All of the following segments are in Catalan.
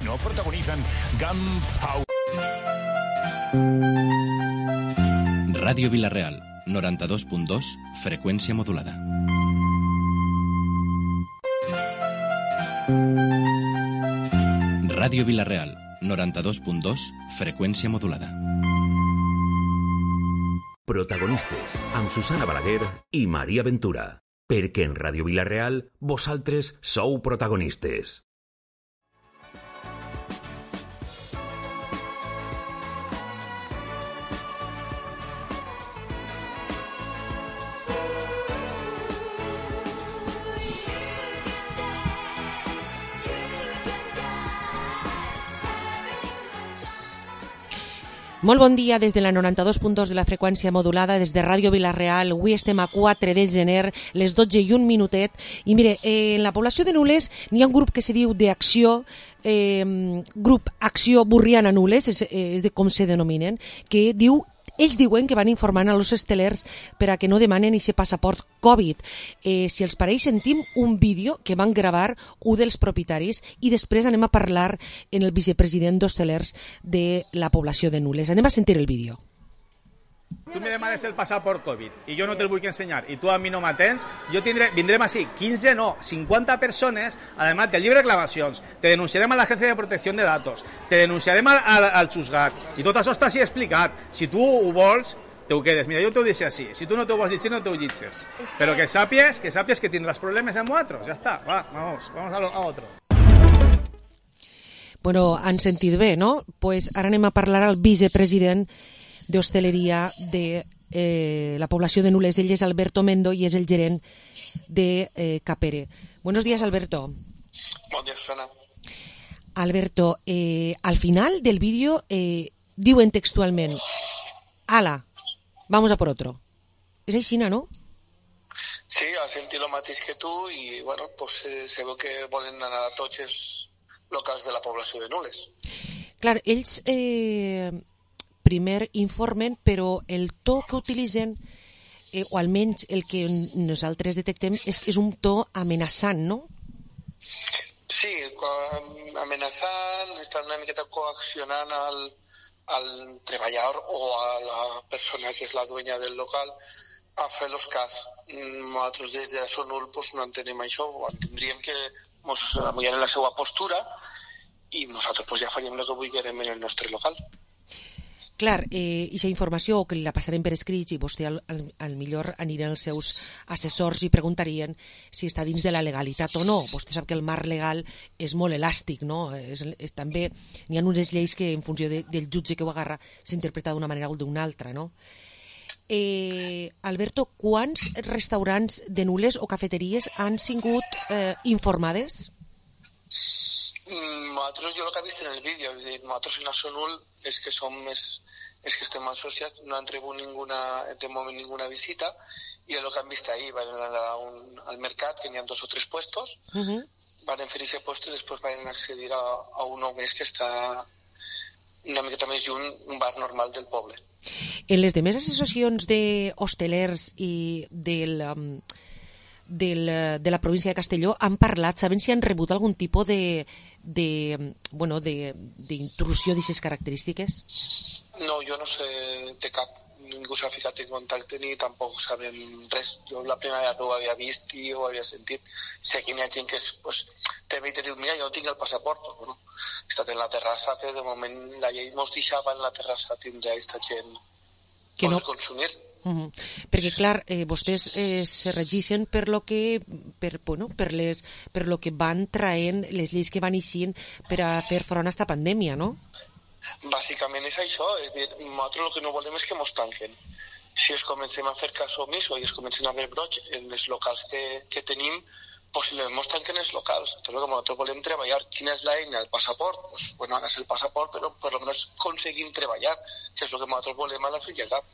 No protagonizan Gunpowder. Ràdio Vila-real, 92.2, freqüència modulada. Ràdio Vila-real, 92.2, freqüència modulada. Protagonistes, amb Susana Balaguer i Maria Ventura. Perquè en Ràdio Vila-real, vosaltres sou protagonistes. Molt bon dia des de la 92.2 de la freqüència modulada, des de Ràdio Vila-real. Avui estem a 4 de gener, les 12 i un minutet. I mire, en la població de Nules n'hi ha un grup que se diu d'Acció, grup Acció Burriana Nules, és de com se denominen, que diu... Ells diuen que van informant als hostelers per a que no demanen aquest passaport Covid. Si els pareix, sentim un vídeo que van gravar un dels propietaris i després anem a parlar en el vicepresident d'hostelers de la població de Nules. Anem a sentir el vídeo. Tu me demanes el passaport Covid i jo no te'l vull ensenyar i tu a mi no m'atens, vindrem així 15, no, 50 persones, además del llibre de reclamacions, te denunciarem a l'Agència de Protecció de Datos, te denunciarem al Xusgat, i tot això està així explicat. Si tu ho vols, te ho quedes. Mira, jo t'ho deixo així. Si tu no t'ho vols llegir, no t'ho llegis. Però que sàpies que tindràs problemes amb nosaltres. Ja està, va, vamos a otro. Bueno, han sentit bé, no? Pues ara anem a parlar al vicepresident d'hostaleria de la població de Nules. Ell és Alberto Mendo i és el gerent de Capere. Buenos días, Alberto. Bon dia, Susana. Alberto, al final del vídeo diuen textualment: ala, vamos a por otro. És així, no? Sí, ha sentit el mateix que tu i, bueno, pues, se veu que volen anar a tots els locals de la població de Nules. Clar, ells primer informen, però el to que utilitzen, o almenys el que nosaltres detectem, és un to amenaçant, no? Sí, amenaçant, estan una miqueta coaccionant al treballador o a la persona que és la dueña del local a fer los cas. Nosaltres des de Sonul pues, no entenem això, entendríem que ens amullaren la seva postura i nosaltres pues, ja faríem el que vulguem en el nostre local. Clar, aquesta informació que la passarem per escrits i vostè al millor anirien els seus assessors i preguntarien si està dins de la legalitat o no. Vostè sap que el marc legal és molt elàstic, no? També n'hi ha unes lleis que en funció del jutge que ho agarra s'interpreta d'una manera o d'una altra, no? Alberto, quants restaurants de Nules o cafeteries han sigut informades? Nosaltres, jo el que he vist en el vídeo, nosaltres en Sonul és que estem associats, no han rebut de moment ninguna visita i el que han vist ahir, van anar al mercat, que n'hi ha 2 o 3 puestos, van fer aquest puesto i després van accedir a un nou més que està una miqueta més lluny, un bar normal del poble. En les demés associacions d'hostelers i de la província de Castelló han parlat, saben si han rebut algun tipus d'intrusió d'aquestes característiques? No, jo no sé de cap, ningú s'ha ficat en contacte ni tampoc sabem res. Jo la primera vegada ho havia vist i ho havia sentit. Si aquí hi ha gent que te ve i te diu, mira, jo no tinc el passaport, però bueno, he estat en la terrassa, que de moment la llei ens deixava en la terrassa tindre aquesta gent que no consumir. Perquè, clar, vostès se regeixen per lo que van traient les lleis que van eixint per a fer front a aquesta pandèmia, no? Bàsicament és això, és dir, nosaltres el que no volem és que ens tanquen. Si es comencem a fer cas omís i es comencen a haver brots en els locals que tenim, possiblement ens tanquen els locals. Tot el que nosaltres volem treballar. Quina és l'eina? El passaport? Pues, bueno, ara és el passaport, però per almenys aconseguim treballar, que és el que nosaltres volem a la fi i al cap.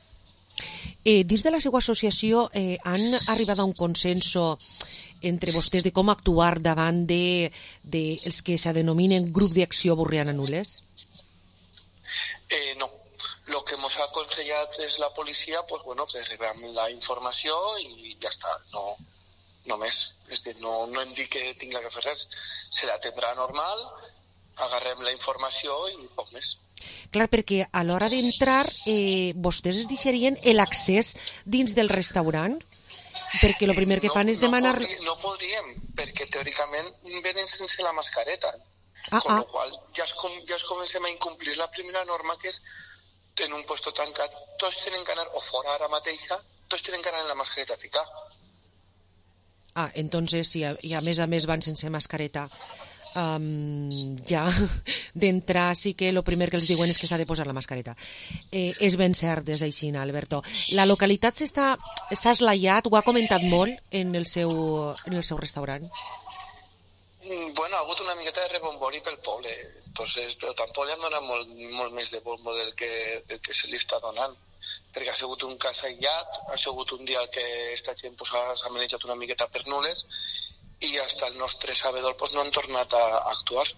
Dins de la seva associació han arribat a un consenso entre vostès de com actuar davant dels que se denominen grup d'acció Burriana Nules? No. El que ens ha aconsellat és la policia, pues, bueno, que rebem la informació i ja està, no més. És dir, no hem dit que tingui que fer res. Se l'atendrà normal agarrem la informació i poc més. Clar, perquè a l'hora d'entrar vostès es deixarien l'accés dins del restaurant? Perquè el primer que fan és demanar... No podríem, perquè teòricament venen sense la mascareta. Con lo qual ja es comencem a incomplir la primera norma, que és en un puesto tancat, tots tenen que anar, o fora ara mateixa, tots tenen que anar en la mascareta a ficar. Entonces, si a més van sense mascareta, ja d'entrar sí que el primer que els diuen és que s'ha de posar la mascareta. És ben cert, és així, Alberto. La localitat s'ha esglaiat, ho ha comentat molt en el seu restaurant? Bueno, ha hagut una miqueta de rebombori pel poble, entonces, però tampoc li han donat molt més de bombo del que se li està donant, perquè ha sigut un cas aïllat, ha sigut un dia que esta gent s'ha manejat una miqueta per nules i fins el nostre sabedor no han tornat a actuar.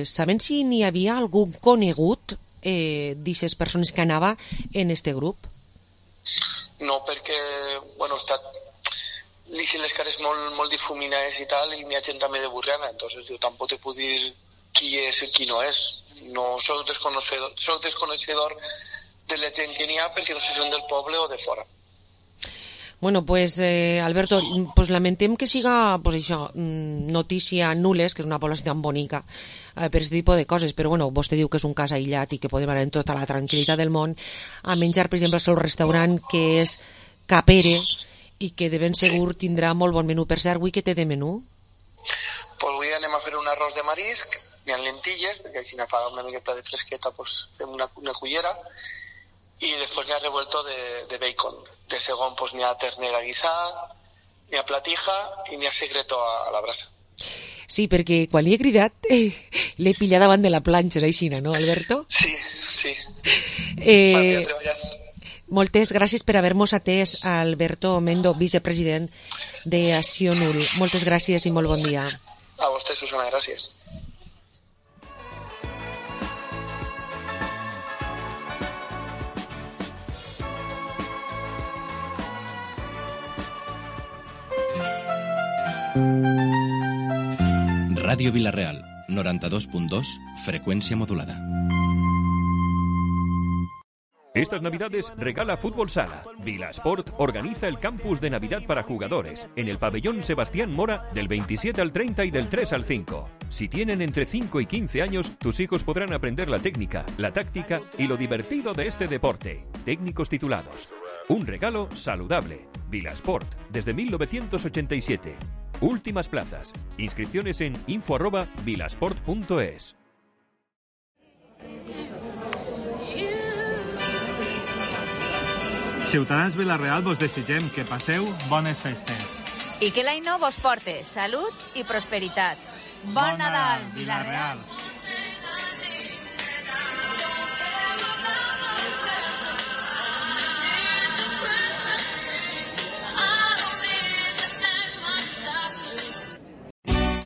Saben si n'hi havia algun conegut d'aquestes persones que anava en este grup? No, perquè, bueno, deixen les cares molt difuminades i tal, i n'hi ha gent també de Burriana, entonces jo tampoc te puc dir qui és i qui no és. No soc desconeixedor de la gent que n'hi ha, perquè no sé si són del poble o de fora. Bueno, pues Alberto, pues lamentem que siga pues això, notícia Nules, que és una població tan bonica per aquest tipus de coses, però bueno, vostè diu que és un cas aïllat i que podem anar en tota la tranquil·litat del món a menjar, per exemple, al seu restaurant, que és Capere, i que de ben segur tindrà molt bon menú. Per cert, avui què té de menú? Pues avui anem a fer un arròs de marisc, hi ha lentilles, perquè així fa una miqueta de fresqueta, pues fem una cullera, i després n'hi ha revuelto de bacon. De segon pues n'hi ha ternera guisada, n'hi ha platija i n'hi ha secreto a la brasa. Sí, perquè quan li he cridat l'he pillat davant de la planxa, així, no, Alberto? Sí. M'havia treballat. Moltes gràcies per haver-nos atès, Alberto Mendo, vicepresident d'Acció Nul. Moltes gràcies i molt bon dia. A vostè, Susana, gràcies. Ràdio Vila-real, 92.2, frecuencia modulada. Estas Navidades regala Fútbol Sala. Vilasport organiza el campus de Navidad para jugadores en el pabellón Sebastián Mora del 27 al 30 y del 3 al 5. Si tienen entre 5 y 15 años, tus hijos podrán aprender la técnica, la táctica y lo divertido de este deporte. Técnicos titulados. Un regalo saludable. Vilasport, desde 1987. Últimas plazas. Inscripciones en info@vilasport.es. Ciutadans Vila-real, vos desitgem que passeu bones festes. I que l'any nou vos porte salut i prosperitat. Bon Nadal, Vila-real!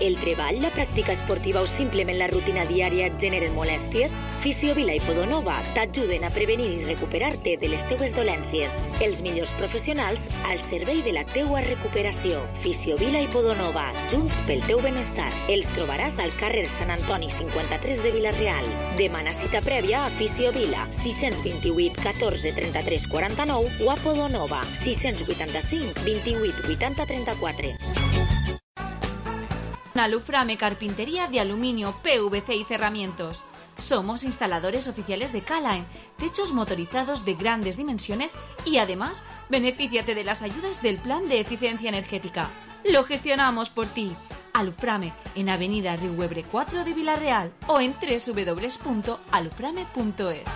El treball, la pràctica esportiva o simplement la rutina diària et generen molèsties? Fisiovila i Podonova t'ajuden a prevenir i recuperar-te de les teues dolències. Els millors professionals al servei de la teua recuperació. Fisiovila i Podonova, junts pel teu benestar. Els trobaràs al carrer Sant Antoni 53 de Vila-real. Demana cita prèvia a Fisiovila, 628 14 33 49 o a Podonova, 685 28 80 34. Aluframe Carpintería de Aluminio, PVC y Cerramientos. Somos instaladores oficiales de K-Line, techos motorizados de grandes dimensiones y además, benefíciate de las ayudas del Plan de Eficiencia Energética. Lo gestionamos por ti. Aluframe, en Avenida Riuebre 4 de Vila-real o en www.aluframe.es.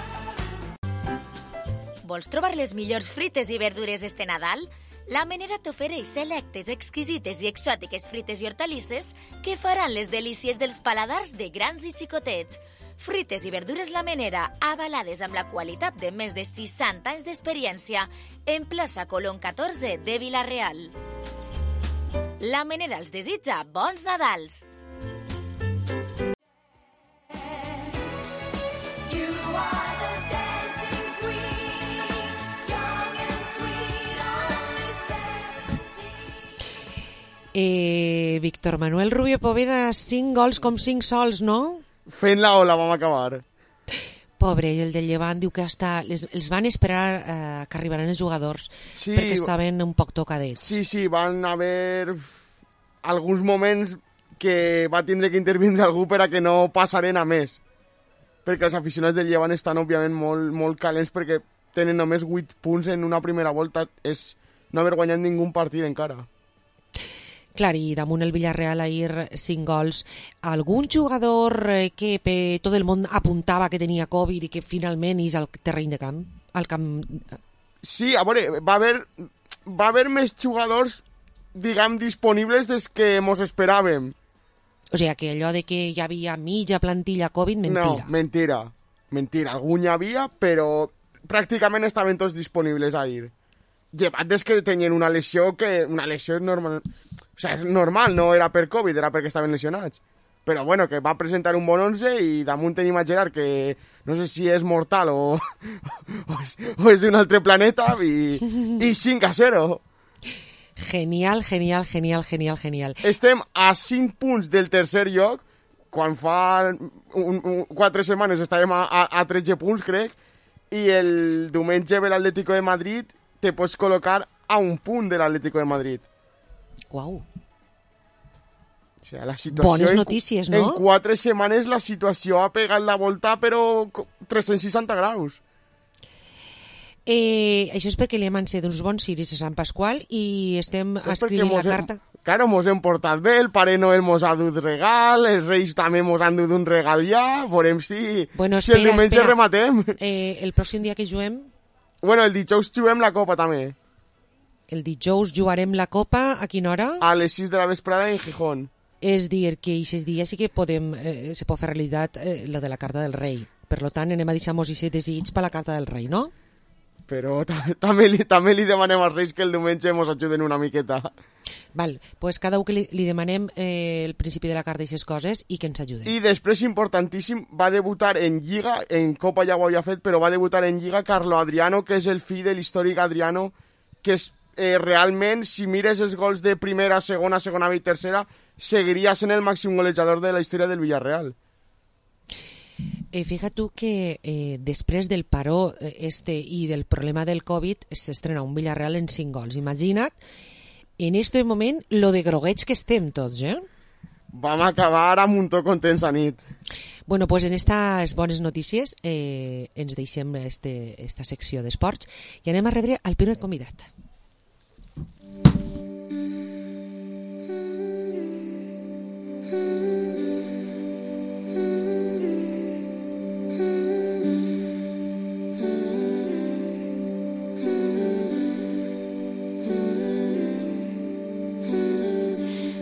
Vols trobar les millors frites i verdures este Nadal? La Menera t'ofereix selectes, exquisites i exòtiques frites i hortalisses que faran les delícies dels paladars de grans i xicotets. Frites i verdures La Menera, avalades amb la qualitat de més de 60 anys d'experiència, en plaça Colón 14 de Vila-real. La Menera els desitja bons Nadals! Víctor Manuel Rubio Poveda, 5 gols com 5 sols, no? Fent la ola vam acabar. Pobre, el del Llevant diu que hasta els van esperar que arribaran els jugadors perquè estaven un poc tocadets. Sí, van haver alguns moments que va tindre que intervindre algú per a que no passaren a més. Perquè els aficionats del Llevant estan, òbviament, molt calents perquè tenen només 8 punts en una primera volta. És no haver guanyat ningú partit encara. Clar, i damunt el Villarreal ahir 5 gols. Algun jugador que tot el món apuntava que tenia Covid i que finalment és al terreny de camp? Sí, a veure, va haver més jugadors, diguem, disponibles des que mos esperàvem. O sigui, que allò de que hi havia mitja plantilla Covid, mentira. No, mentira. Algun hi havia, però pràcticament estaven tots disponibles ahir. Llevat des que tenien una lesió normal. O sigui, és normal, no era per Covid, era perquè estaven lesionats. Però bueno, que va presentar un bon 11 i damunt tenim a Gerard, que no sé si és mortal o és d'un altre planeta, i 5-0. Genial. Estem a 5 punts del tercer lloc, quan fa 4 setmanes estàvem a 13 punts, crec, i el diumenge ve l'Atlético de Madrid, te pots col·locar a 1 punt de l'Atlético de Madrid. Uau. O sigui, la situació... Bones notícies, no? En 4 setmanes la situació ha pegat la volta, però 360 graus. Això és perquè li hem encet uns bons ciris a Sant Pasqual i estem escrivint la carta. Claro, mos hem portat bé, el Pare Noel mos ha dut regal, els Reis també mos han dut un regal ja, veurem si el diumenge rematem. El pròxim dia que juguem? Bueno, el dijous juguem la Copa també. El dijous jugarem la Copa, a quina hora? A les 6 de la vesprada en Gijón. És dir, que aquests dies sí que se pot fer realitat la de la carta del rei. Per tant, anem a deixar-nos aquest desig per la carta del rei, no? Però també li demanem als Reis que el diumenge ens ajuden una miqueta. Val, pues cada un que li demanem el principi de la carta i aquestes coses i que ens ajuden. I després, importantíssim, va debutar en Lliga, en Copa ja ho havia fet, però va debutar en Lliga Carlo Adriano, que és el fill de l'històric Adriano, que és realment, si mires els gols de primera, segona B i tercera, seguiria sent el màxim golejador de la història del Villarreal. Fíjate tu que després del paró i del problema del Covid s'estrena un Villarreal en 5 gols. Imagina't, en este moment, lo de groguets que estem tots, Vam acabar amb un to contents a nit. Bueno, pues en estas bones notícies ens deixem esta secció d'esports i anem a rebre el primer convidat.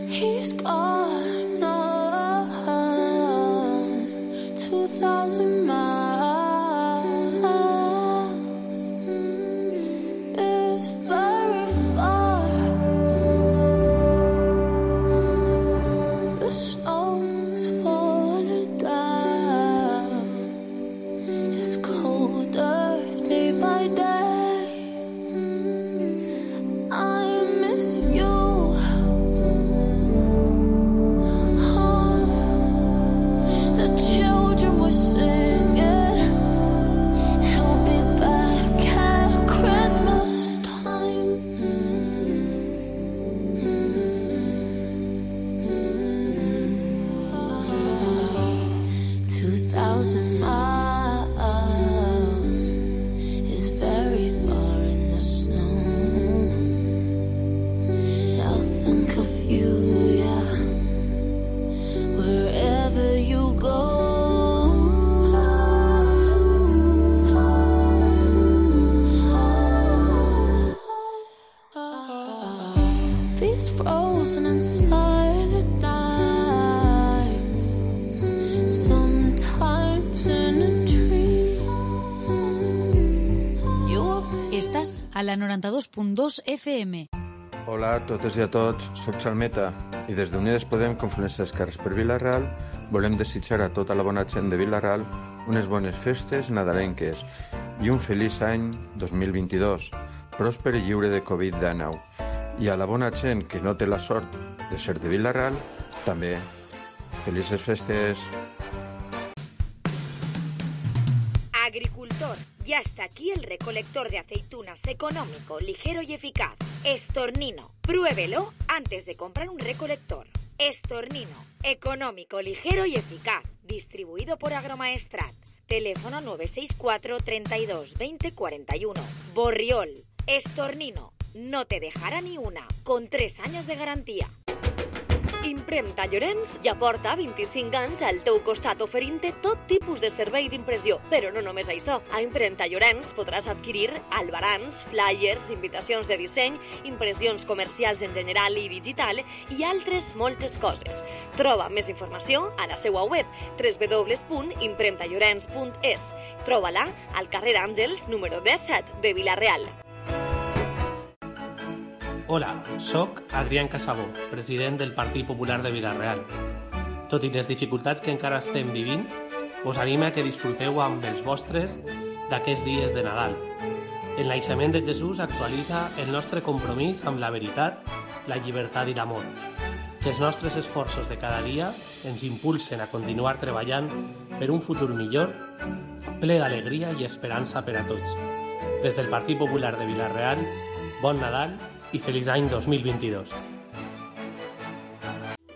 He's gone on 2,000 miles. It's very far. The snow's falling down. It's colder day by day. I miss you. A la 92.2 FM. Hola a totes i a tots, soc Xalmeta i des d'Unides Podem, Confluència d'Esquerres per Vila-real, volem desitjar a tota la bona gent de Vila-real unes bones festes nadalenques i un feliç any 2022, pròsper i lliure de Covid-19. I a la bona gent que no té la sort de ser de Vila-real, també. Felices festes! Agricultor, ya está aquí el recolector de aceitunas económico, ligero y eficaz. Estornino, pruébelo antes de comprar un recolector. Estornino, económico, ligero y eficaz. Distribuido por Agromaestrat. Teléfono 964 32 20 41. Borriol, Estornino, no te dejará ni una, con 3 años de garantía. Impremta Llorenç ja porta 25 anys al teu costat oferint-te tot tipus de servei d'impressió. Però no només això. A Impremta Llorenç podràs adquirir albarans, flyers, invitacions de disseny, impressions comercials en general i digital i altres moltes coses. Troba més informació a la seva web www.impremtallorens.es. Troba-la al carrer Àngels, número 17 de Vila-real. Hola, soc Adrián Casabó, president del Partit Popular de Vila-real. Tot i les dificultats que encara estem vivint, us anima que disfruteu amb els vostres d'aquests dies de Nadal. El naixement de Jesús actualitza el nostre compromís amb la veritat, la llibertat i l'amor. Que els nostres esforços de cada dia ens impulsen a continuar treballant per un futur millor, ple d'alegria i esperança per a tots. Des del Partit Popular de Vila-real, bon Nadal i feliç any 2022.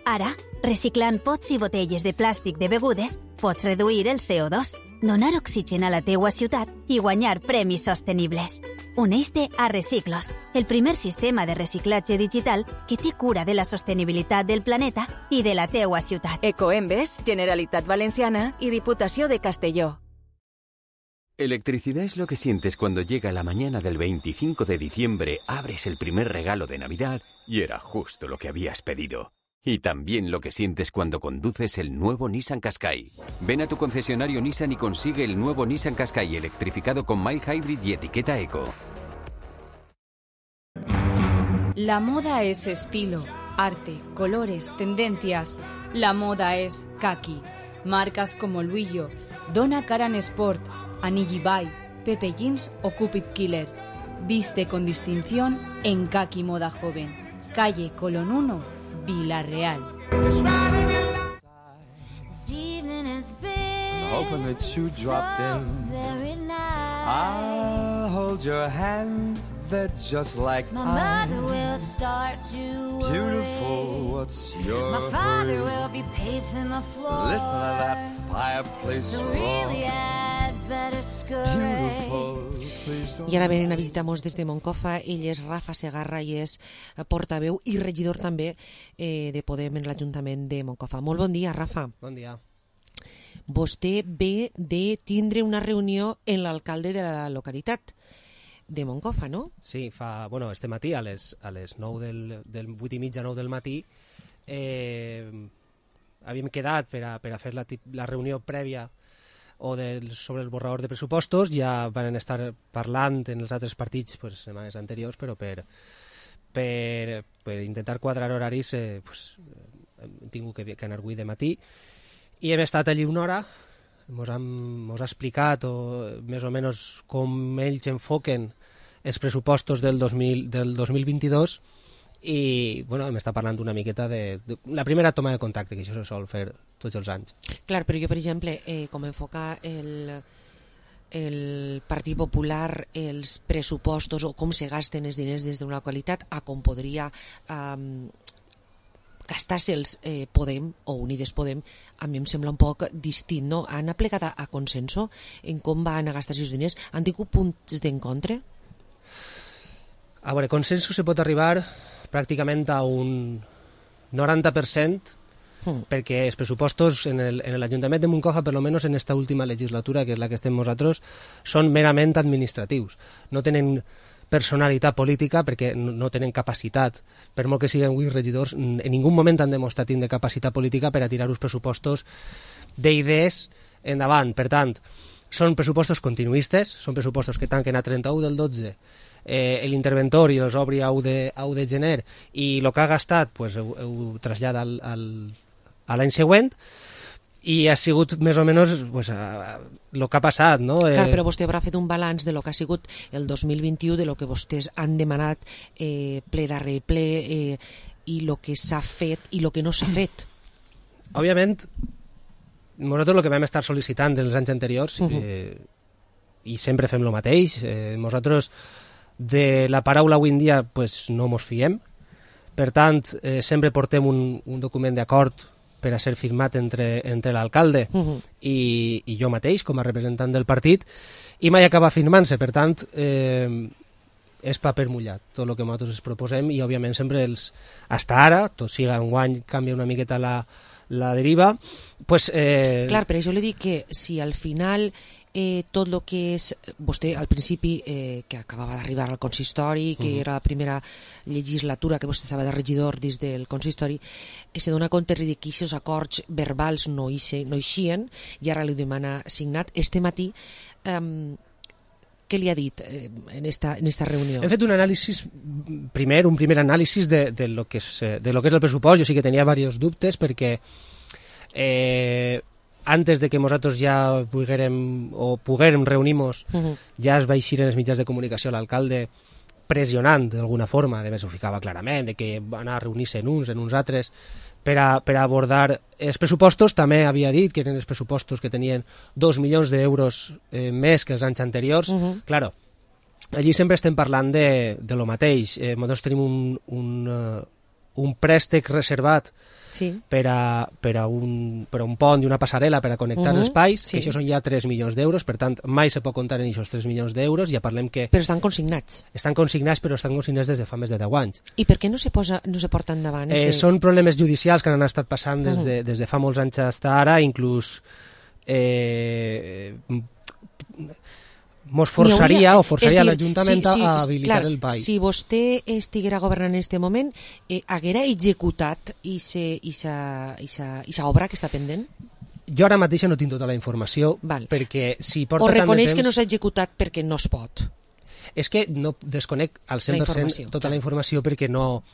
Ara, reciclant pots i botelles de plàstic de begudes, pots reduir el CO2, donar oxigen a la teua ciutat i guanyar premis sostenibles. Uneix-te a Reciclos, el primer sistema de reciclatge digital que té cura de la sostenibilitat del planeta i de la teua ciutat. Ecoembes, Generalitat Valenciana i Diputació de Castelló. Electricidad es lo que sientes cuando llega la mañana del 25 de diciembre, abres el primer regalo de Navidad y era justo lo que habías pedido. Y también lo que sientes cuando conduces el nuevo Nissan Qashqai. Ven a tu concesionario Nissan y consigue el nuevo Nissan Qashqai electrificado con mild hybrid y etiqueta eco. La moda es estilo, arte, colores, tendencias. La moda es kaki. Marcas como Luillo, Donna Karan Sport, Anigi Bai, Pepe Jeans o Cupid Killer. Viste con distinción en Kaki Moda Joven. Calle Colón 1, Vila-real. Hoping that you dropped in. I'll hold your hands, they're just like My mother will start to worry. beautiful. What's your My father hurry? will be pacing the floor. Listen to that fireplace So roar. really I'd better scurry. Beautiful, please don't. I ara venen a visitar-nos des de Moncofa. Ell és Rafa Segarra i és portaveu i regidor també de Podem en l'Ajuntament de Moncofa. Molt bon dia, Rafa. Bon dia. Vostè ve de tindre una reunió amb l'alcalde de la localitat de Moncofa, no? Sí, este matí a les 9 del 8 i mitja, 9 del matí havíem quedat per a fer la reunió prèvia sobre el borrador de pressupostos. Ja van estar parlant en els altres partits setmanes anteriors, però per intentar quadrar horaris hem tingut que anar avui de matí i hem estat allí una hora. Mos ha explicat més o menys com ells enfoquen els pressupostos del 2022 i hem estat parlant una miqueta de la primera toma de contacte, que això se sol fer tots els anys. Clar, però jo, per exemple, com enfoca el Partit Popular els pressupostos o com se gasten els diners des d'una localitat a com podria gastar-se'ls Podem o Unides Podem, a mi em sembla un poc distint, no? Han aplicat a consenso en com van a gastar-se els diners? Han tingut punts d'encontre? A veure, consenso se pot arribar pràcticament a un 90%, perquè els pressupostos en l'Ajuntament de Moncofa, per almenys en esta última legislatura, que és la que estem nosaltres, són merament administratius. No tenen personalitat política perquè no tenen capacitat, per molt que siguin avui regidors, en ningú moment han demostrat tindre capacitat política per a tirar uns pressupostos d'idees endavant. Per tant, són pressupostos continuistes, són pressupostos que tanquen a 31 del 12 l'interventor i els obri a 1 de gener i el que ha gastat ho trasllada a l'any següent i ha sigut més o menys el que ha passat, no? Clar, però vostè haurà fet un balanç de lo que ha sigut el 2021, de lo que vostès han demanat ple darrere ple i el que s'ha fet i el que no s'ha fet. Òbviament, nosaltres el que vam estar sol·licitant dels anys anteriors, i sempre fem el mateix, nosaltres de la paraula avui en dia pues, no mos fiem, per tant, sempre portem un document d'acord per a ser firmat entre l'alcalde i jo mateix, com a representant del partit, i mai acaba firmant-se, per tant, és paper mullat, tot el que nosaltres ens proposem, i òbviament sempre hasta ara, tot siga enguany, canvia una miqueta la deriva, pues... Clar, però jo li dic que si al final tot el que és... Vostè, al principi, que acabava d'arribar al consistori, que era la primera legislatura que vostè estava de regidor dins del consistori, se dona compte que aquests acords verbals no eixien, i ara li demana signat. Este matí, què li ha dit en esta reunió? Hem fet un anàlisi, un primer anàlisi de lo que és el pressupost. Jo sí que tenia diversos dubtes perquè antes de que nosaltres ja poguérem reunir-nos, ja es va eixir en els mitjans de comunicació l'alcalde pressionant d'alguna forma, de més ho ficava clarament, de que van anar a reunir-se en uns altres, per a abordar els pressupostos. També havia dit que eren els pressupostos que tenien 2 milions d'euros més que els anys anteriors. Claro, allí sempre estem parlant de lo mateix. Nosaltres tenim un préstec reservat per a un pont i una passarel·la per a connectar els espais, que això són ja 3 milions d'euros, per tant, mai se pot comptar en aquests 3 milions d'euros, ja parlem que... Però estan consignats. Estan consignats, però estan consignats des de fa més de 10 anys. I per què no se porta endavant? Són problemes judicials que han estat passant des de fa molts anys fins ara, inclús mos forçaria l'Ajuntament a habilitar el PAI. Si vostè estiguera governant en aquest moment, haguera executat aquesta obra que està pendent? Jo ara mateix no tinc tota la informació, perquè si porta tant de temps... O reconeix que no s'ha executat perquè no es pot? És que no desconec al 100% tota la informació perquè no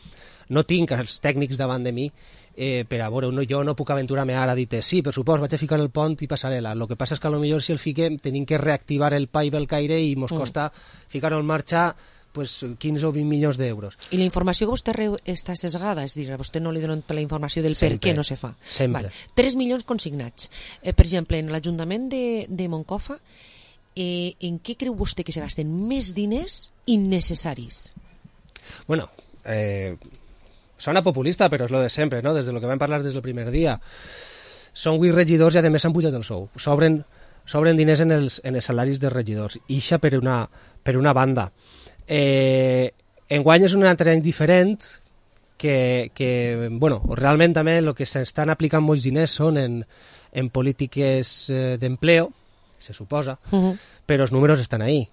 tinc els tècnics davant de mi per a veure, jo no puc aventurar-me ara a dir sí, per supost, vaig a ficar el pont i passarel·la. El que passa és que potser si el fiquem tenim que reactivar el PAI Belcaire i ens costa ficar-ho en marxa 15 o 20 milions d'euros. I la informació que vostè està sesgada, és a dir, a vostè no li donen la informació del per què no se fa. Sempre. 3 milions consignats. Per exemple, en l'Ajuntament de Moncofa, en què creu vostè que se gasten més diners innecessaris? Bueno, sona populista, però és lo de sempre, no? Des de lo que vam parlar des del primer dia. Són 8 regidors i a més s'han pujat el sou. Sobren diners en els salaris dels regidors. Ixa per una banda. Enguany és un altre any diferent que bueno, realment també el que s'estan aplicant molts diners són en polítiques d'empleo, se suposa, però els números estan ahí.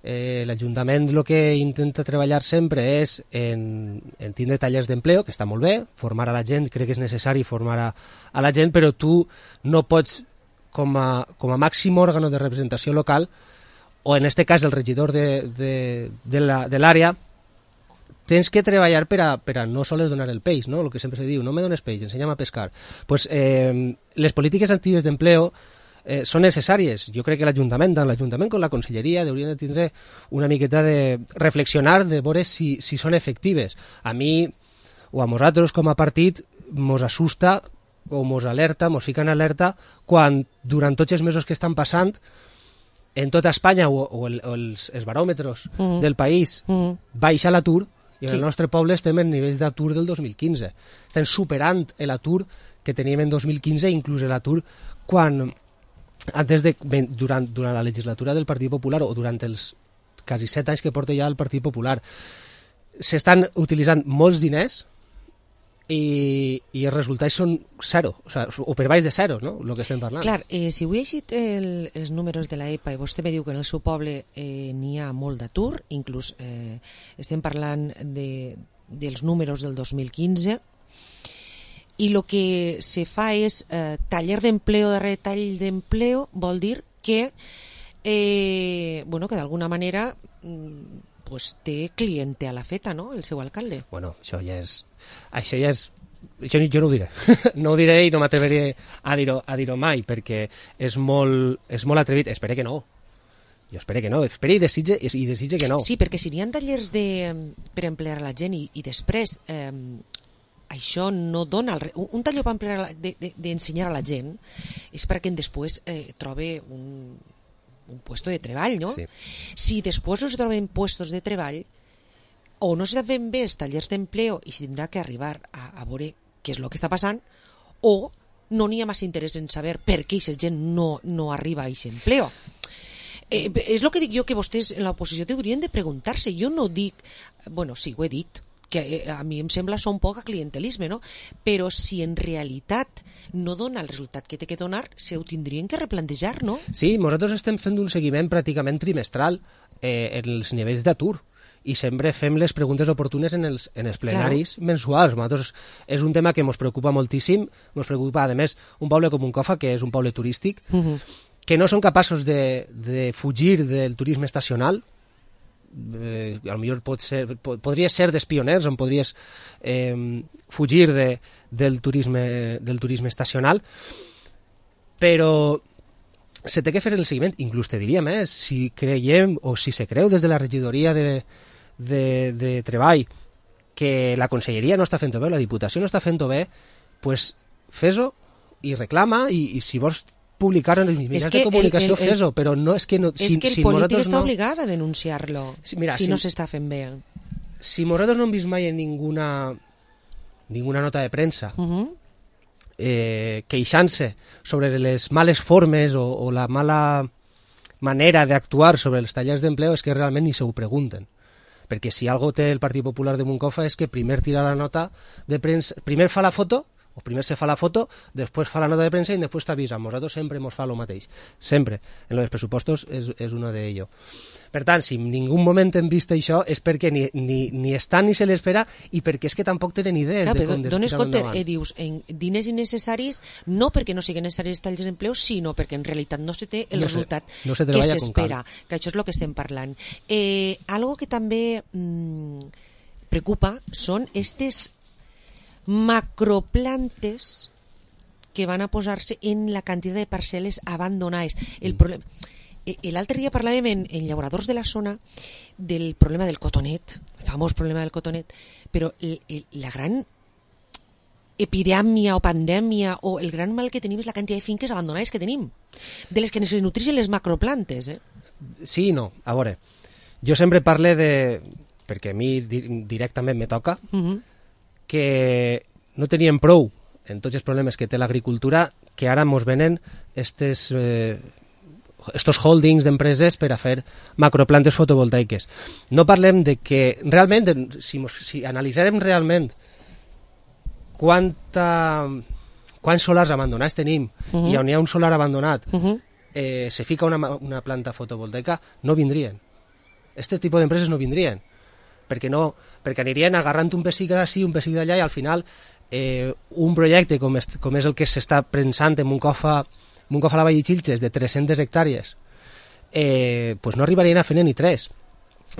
L'Ajuntament el que intenta treballar sempre és en tindre tallers d'empleo, que està molt bé, formar a la gent, crec que és necessari formar a la gent, però tu no pots, com a màxim òrgano de representació local, o en aquest cas el regidor de l'àrea, tens que treballar per a no sols donar el peix, no? El que sempre se diu, no me dones peix, ensenya'm a pescar. Pues, les polítiques actives d'empleo són necessàries. Jo crec que l'Ajuntament, tant l'Ajuntament com la Conselleria, haurien de tindre una miqueta de reflexionar, de veure si són efectives. A mi, o a nosaltres com a partit, mos assusta o mos alerta, mos fica en alerta, quan durant tots els mesos que estan passant, en tota Espanya o els baròmetres del país baixa l'atur, i en el nostre poble estem en nivells d'atur del 2015. Estem superant l'atur que teníem en 2015, inclús l'atur quan... durant la legislatura del Partit Popular o durant els quasi 7 anys que porta ja el Partit Popular s'estan utilitzant molts diners i els resultats són zero, o per baix de zero, no? El que estem parlant. Clar, si ho he llegit els números de l'EPA i vostè me diu que en el seu poble n'hi ha molt d'atur, inclús estem parlant dels números del 2015, i el que se fa és taller d'empleo darrere tall d'empleo, vol dir que que d'alguna manera té cliente a la feta, no?, el seu alcalde. Bueno, això ja és... Jo no ho diré. No ho diré i no m'atreveré a dir-ho mai, perquè és molt atrevit. Espero que no. Jo espero que no, espero i desitge que no. Sí, perquè si n'hi ha tallers per emplear la gent i després això no dona... Un taller per emplear d'ensenyar a la gent és perquè després trobe un puesto de treball, no? Sí. Si després no se troben puestos de treball o no s'estan fent bé els tallers d'empleo i s'tindrà que arribar a veure què és el que està passant, o no n'hi ha massa interès en saber per què aquesta gent no arriba a aquest empleo. És el que dic jo, que vostès en l'oposició haurien de preguntar-se. Jo no dic... Bueno, sí, ho he dit, que a mi em sembla un poc a clientelisme, no? Però si en realitat no dona el resultat que té que donar, se ho tindrien que replantejar, no? Sí, nosaltres estem fent un seguiment pràcticament trimestral en els nivells d'atur i sempre fem les preguntes oportunes en els plenaris mensuals. Nosaltres és un tema que ens preocupa moltíssim, ens preocupa, a més, un poble com Moncofa, que és un poble turístic, que no són capaços de fugir del turisme estacional. Potser podria ser dels pioners on podries fugir del turisme estacional, però se té que fer el seguiment. Inclús te diria més, si creiem o si se creu des de la regidoria de Treball que la conselleria no està fent-ho bé, la Diputació no està fent-ho bé, pues fes-ho i reclama, i si vols publicar en els mitjans de comunicació, fes-ho, però no és que... És que el polític està obligat a denunciar-lo, si no s'està fent bé. Si nosaltres no hem vist mai en ninguna nota de premsa queixant-se sobre les males formes o la mala manera d'actuar sobre els tallers d'empleo, és que realment ni se ho pregunten. Perquè si algo té el Partit Popular de Moncofa és que primer tira la nota de premsa, primer fa la foto, o primer se fa la foto, després fa la nota de premsa i després t'avisa. Nosaltres sempre ens fa el mateix. Sempre. En els pressupostos és uno de ello. Per tant, si en ningú moment hem vist això és perquè ni estan ni se l'espera i perquè és que tampoc tenen idees de com dones compte, dius, en diners innecessaris, no perquè no siguin necessaris talls d'empleo, sinó perquè en realitat no se té el resultat que s'espera. Que això és el que estem parlant. Algo que també preocupa són aquestes macroplantes que van a posar-se en la quantitat de parcel·les abandonades. El problema... L'altre dia parlàvem en llauradors de la zona del problema del cotonet, el famós problema del cotonet, però la gran epidèmia o pandèmia o el gran mal que tenim és la quantitat de finques abandonades que tenim, de les que se nutreixen les macroplantes. Sí i no. A veure, jo sempre parle perquè a mi directament me toca, que no teníem prou en tots els problemes que té l'agricultura, que ara mos venen estos holdings d'empreses per a fer macroplantes fotovoltaiques. No parlem de que realment, si analitzarem realment quants solars abandonats tenim i on hi ha un solar abandonat, se fica una planta fotovoltaica, no vindrien. Aquest tipus d'empreses no vindrien, perquè anirien agarrant un pessic d'ací, un pessic d'allà, i al final un projecte com és el que s'està pensant en Moncofa la Vall de Xilxes, de 300 hectàrees, pues no arribarien a fer ni 3.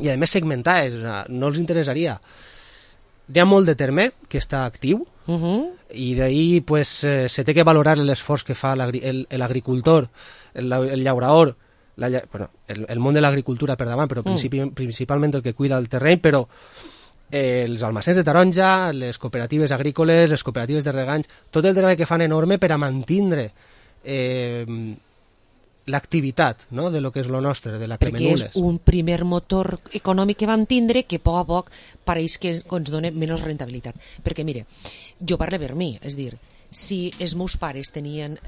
I a més segmentades, no els interessaria. Hi ha molt de terme que està actiu, i d'ahir pues, se té que valorar l'esforç que fa l'agricultor, el llaurador, el món de l'agricultura per davant, però principalment el que cuida el terreny, però els almacens de taronja, les cooperatives agrícoles, les cooperatives de reganys, tot el treball que fan enorme per a mantindre l'activitat, no?, de lo que és lo nostre, de la Cremenules. Perquè és un primer motor econòmic que vam tindre que a poc pareix que ens dona menys rentabilitat. Perquè, mire, jo parlo per mi, és dir, si els meus pares tenien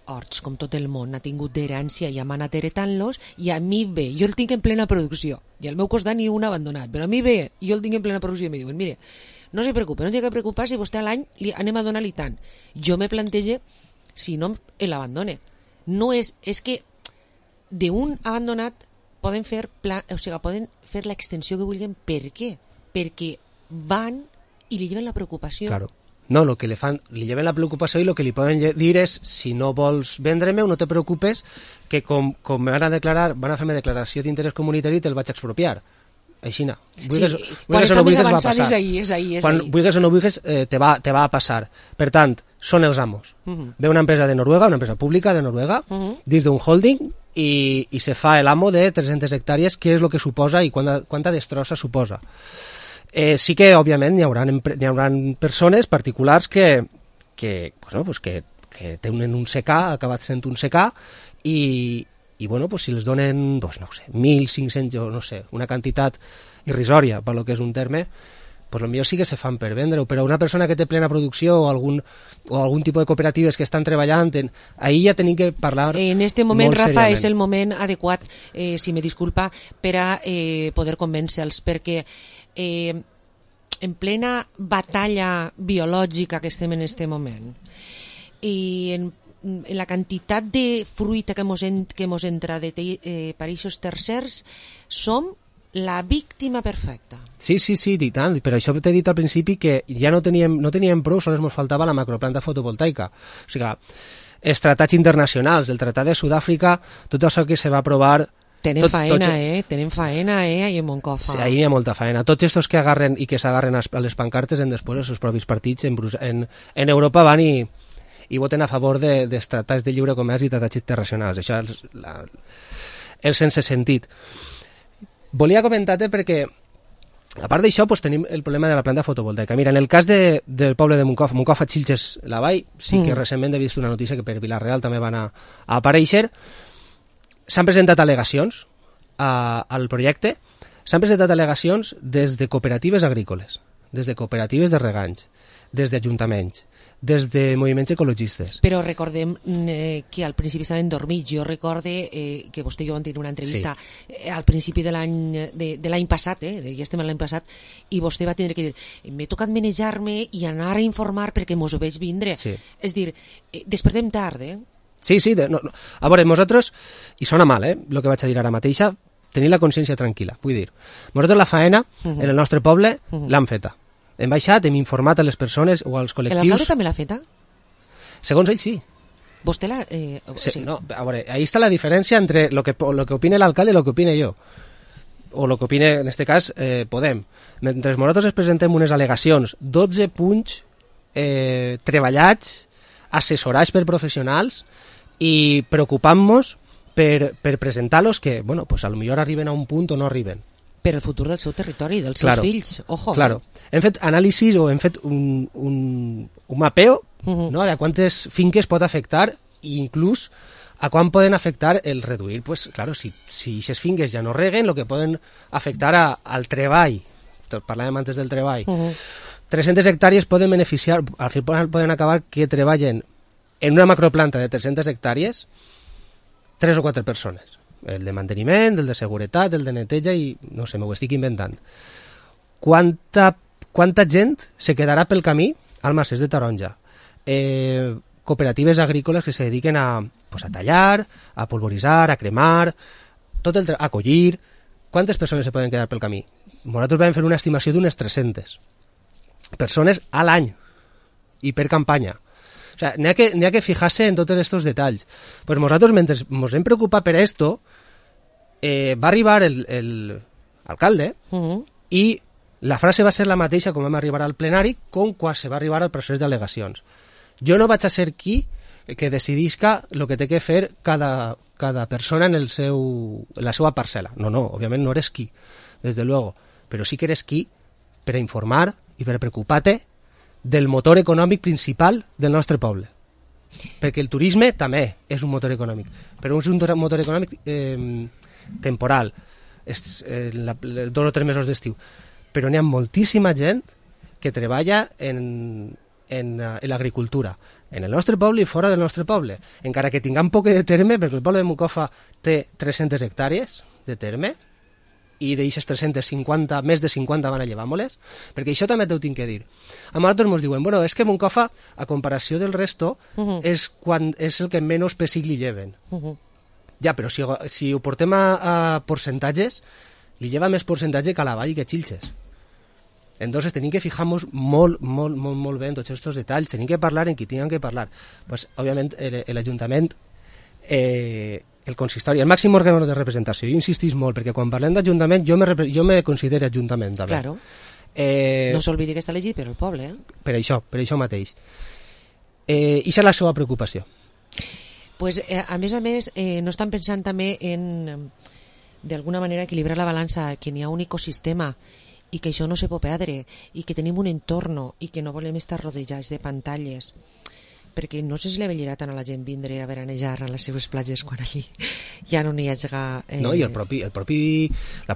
horts, com tot el món ha tingut d'herència i hem anat heretant-los, i a mi ve, jo el tinc en plena producció, i al meu costat ni un abandonat, però a mi ve, jo el tinc en plena producció i em diuen, mire, no se preocupe, no té que preocupar si vostè a l'any anem a donar-li tant. Jo me plantege si no l'abandone. No és que d'un abandonat poden fer poden fer l'extensió que vulguin. Per què? Perquè van i li lleven la preocupació. Claro. No, lo que li lleven la preocupació i el que li poden dir és, si no vols vendre-me, no te preocupes, que com van a fer-me declaració d'interès comunitari, te'l vaig expropiar. aixina. Quan està més avançat és ahir. Quan vulguis o no vulguis te va a passar. Per tant, són els amos. Ve una empresa de Noruega, una empresa pública de Noruega, dins d'un holding, i se fa l'amo de 300 hectàrees, què és el que suposa i quanta destrossa suposa. Sí que, òbviament, hi haurà persones particulars que tenen un secà, ha acabat sent un secà, i si els donen, 1.500, o no sé, una quantitat irrisòria, per lo que és un terme, potser sí que se fan per vendre-ho, però una persona que té plena producció o algun tipus de cooperatives que estan treballant, ahir ja tenim que parlar en este moment, molt Rafa, seriament. és el moment adequat, si me disculpa, per a poder convèncer-los, perquè en plena batalla biològica que estem en este moment, i en la quantitat de fruita que mos entra de països tercers, som la víctima perfecta. Sí, i tant, però això t'he dit al principi que ja no teníem prou, sols ens faltava la macroplanta fotovoltaica. O sigui, els tractats internacionals, el Tractat de Sud-àfrica, tot això que se va aprovar... Tenen faena, ahí en Moncofa. Sí, ahí hi ha molta faena. Tots estos que agarren i que s'agarren a les pancartes en després els seus propis partits en Europa van i voten a favor dels tractats de lliure comerç i tractats internacionals. Això és sense sentit. Volia comentar-te perquè, a part d'això, tenim el problema de la planta fotovoltaica. Mira, en el cas del poble de Moncofa, Xilxes, la Vall, sí que recentment he vist una notícia que per Vila-real també van a aparèixer. S'han presentat al·legacions al projecte, s'han presentat al·legacions des de cooperatives agrícoles, des de cooperatives de reganys, des d'ajuntaments, des de moviments ecologistes. Però recordem que al principi estaven dormits. Jo recorde que vostè i jo vam tenir una entrevista al principi de l'any passat, ja estem l'any passat, i vostè va tenir que dir m'he tocat manejar-me i anar a informar perquè mos ho veig vindre. És dir, despertem tard, Sí, no. A veure, nosaltres, i sona mal, el que vaig a dir ara mateixa, tenir la consciència tranquil·la. Vull dir, nosaltres la faena en el nostre poble l'hem feta. Hem baixat, hem informat a les persones o als col·lectius... L'alcalde també l'ha feta? Segons ell, sí. Vostè l'ha... No, a veure, ahí està la diferència entre lo que opina l'alcalde i lo que opine jo. O lo que opine, en este cas, Podem. Mentre nosaltres presentem unes al·legacions, 12 punts treballats, assessorats per professionals i preocupant-nos per presentar-los que, bueno, pues a lo millor arriben a un punt o no arriben. Per el futur del seu territori, dels seus fills. Ojo. Claro. Hem fet anàlisis o hem fet un mapeo no, de quantes finques pot afectar i inclús a quan poden afectar el reduir. Pues, claro, si aquestes finques ja no reguen, el que poden afectar al treball, parlàvem antes del treball, 300 hectàrees poden beneficiar, al final poden acabar que treballen en una macroplanta de 300 hectàrees 3 o 4 persones. El de manteniment, el de seguretat, el de neteja i, no sé, m'ho estic inventant. Quanta gent se quedarà pel camí al Macés de Taronja? Cooperatives agrícoles que se dediquen a tallar, a polvoritzar, a cremar, a collir. Quantes persones se poden quedar pel camí? Nosaltres vam fer una estimació d'unes 300 persones a l'any i per campanya. O sea, n'hi ha que fijar-se en tots aquests detalls. Pues nosaltres, mentre ens hem preocupat per esto, va arribar l'alcalde i la frase va ser la mateixa com vam arribar al plenari com quan se va arribar al procés d'al·legacions. Jo no vaig a ser qui que decidisca el que té que fer cada persona en la seva parcel·la. No, òbviament no eres qui, des de luego, però sí que eres qui per a informar i per a preocupar-te del motor econòmic principal del nostre poble. Perquè el turisme també és un motor econòmic, però és un motor econòmic temporal, 2 o 3 mesos d'estiu. Però n'hi ha moltíssima gent que treballa en l'agricultura, en el nostre poble i fora del nostre poble. Encara que tinguem poc de terme, perquè el poble de Moncofa té 300 hectàrees de terme, i d'aixes 350, més de 50 van a llevar-me-les, perquè això també t'ho tinc que dir. A nosaltres ens diuen, bueno, és que Moncofa, a comparació del resto, és el que menys pessic li lleven. Ja, però si ho portem a percentatges, li lleva més percentatge que a la Vall i que Xilxes. Entonces tenim que fijar-nos molt bé en tots aquests detalls, tenim que parlar en qui tinguem que parlar. Pues, òbviament, l'Ajuntament el consistori, el màxim òrgan de representació. Jo insistís molt, perquè quan parlem d'Ajuntament, jo me considero Ajuntament, també. Claro. No s'olvidi que està elegit per el poble, Per això mateix. I és la seva preocupació. Pues, a més, no estan pensant també en, d'alguna manera, equilibrar la balança, que n'hi ha un ecosistema i que això no se pot perdre, i que tenim un entorn i que no volem estar rodejats de pantalles, perquè no sé si li avellirà tant a la gent vindre a veranejar a les seves platges quan allí ja no n'hi hagi... No, i la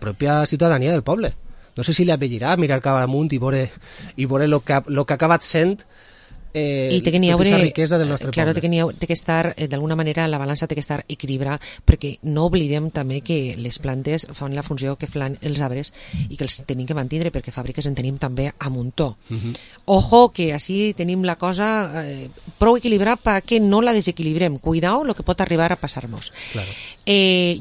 pròpia ciutadania del poble. No sé si li avellirà mirar cap amunt i veure el que ha acabat sent tota aquesta riquesa del nostre claro, poble. té que estar, d'alguna manera, la balança té que estar equilibrada, perquè no oblidem també que les plantes fan la funció que fan els arbres i que els tenim que mantindre, perquè fàbriques en tenim també a muntó. Ojo, que així tenim la cosa prou equilibrada perquè no la desequilibrem. Cuidao lo que pot arribar a passar-nos. Claro.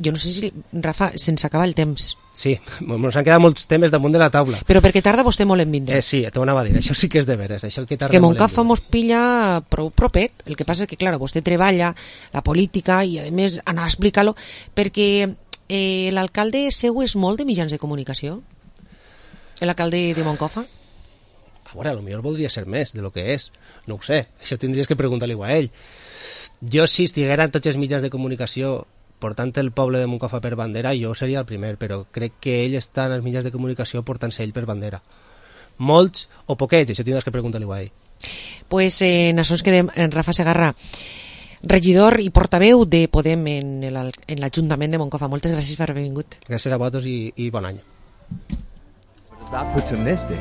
Jo no sé si, Rafa, se'ns acaba el temps. Sí, ens han quedat molts temes damunt de la taula. Però perquè tarda vostè molt en vindre. Sí, t'ho anava a dir, això sí que és de veres. Això que que Montcalfa mos pilla prou propet. El que passa és que, clar, vostè treballa la política i, a més, anar a explicar-lo, perquè l'alcalde seu és molt de mitjans de comunicació? L'alcalde de Montcalfa? A veure, potser voldria ser més de lo que és. No ho sé, això tindries que preguntar-li a ell. Jo, si estiguera en tots els mitjans de comunicació portant el poble de Montcalfa per bandera, jo seria el primer, però crec que ell està en els mitjans de comunicació portant-se ell per bandera. Molts o poquets, això tindràs que preguntar-li a ell. Pues en això ens quedem, en Rafa Segarra, regidor i portaveu de Podem en l'Ajuntament de Montcalfa. Moltes gràcies per haver vingut. Gràcies a vosaltres i bon any. Opportunistic.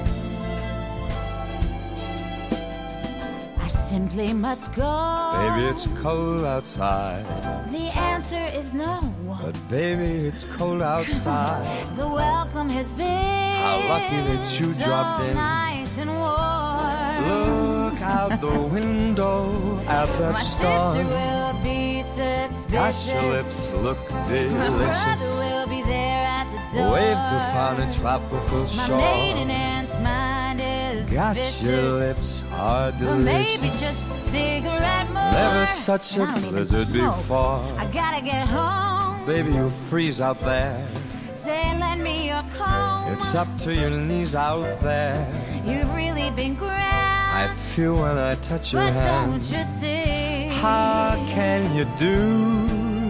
Simply must go. Baby, it's cold outside. The answer is no. But baby, it's cold outside. The welcome has been How lucky that you so dropped in. nice and warm. Look out the window at that My storm. sister will be suspicious. Gosh, your lips look My delicious. brother will be there at the door. Waves upon a tropical My shore. maiden aunt's mind is Gosh, vicious. your lips are Or maybe delicious. just a cigarette more. Never such a I don't even blizzard smoke. before. I gotta get home. Baby, you'll freeze out there. Say, lend me your comb. It's up to your knees out there. You've really been grand. I feel when I touch your But hand. don't you see? How can you do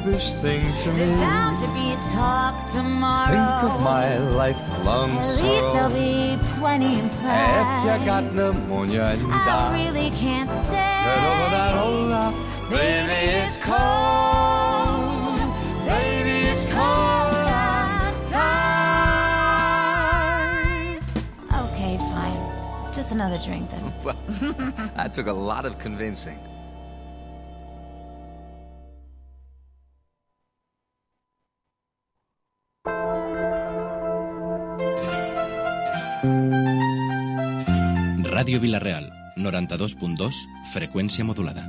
this thing to me? There's bound to be a talk tomorrow. Think of my lifelong At least sorrow. there'll be plenty If implied. you got pneumonia and I die, really can't stay. get over that old love. Baby, it's cold. Baby, it's cold outside. Okay, fine. Just another drink then. Well, that took a lot of convincing. Ràdio Vila-real, 92.2, freqüència modulada.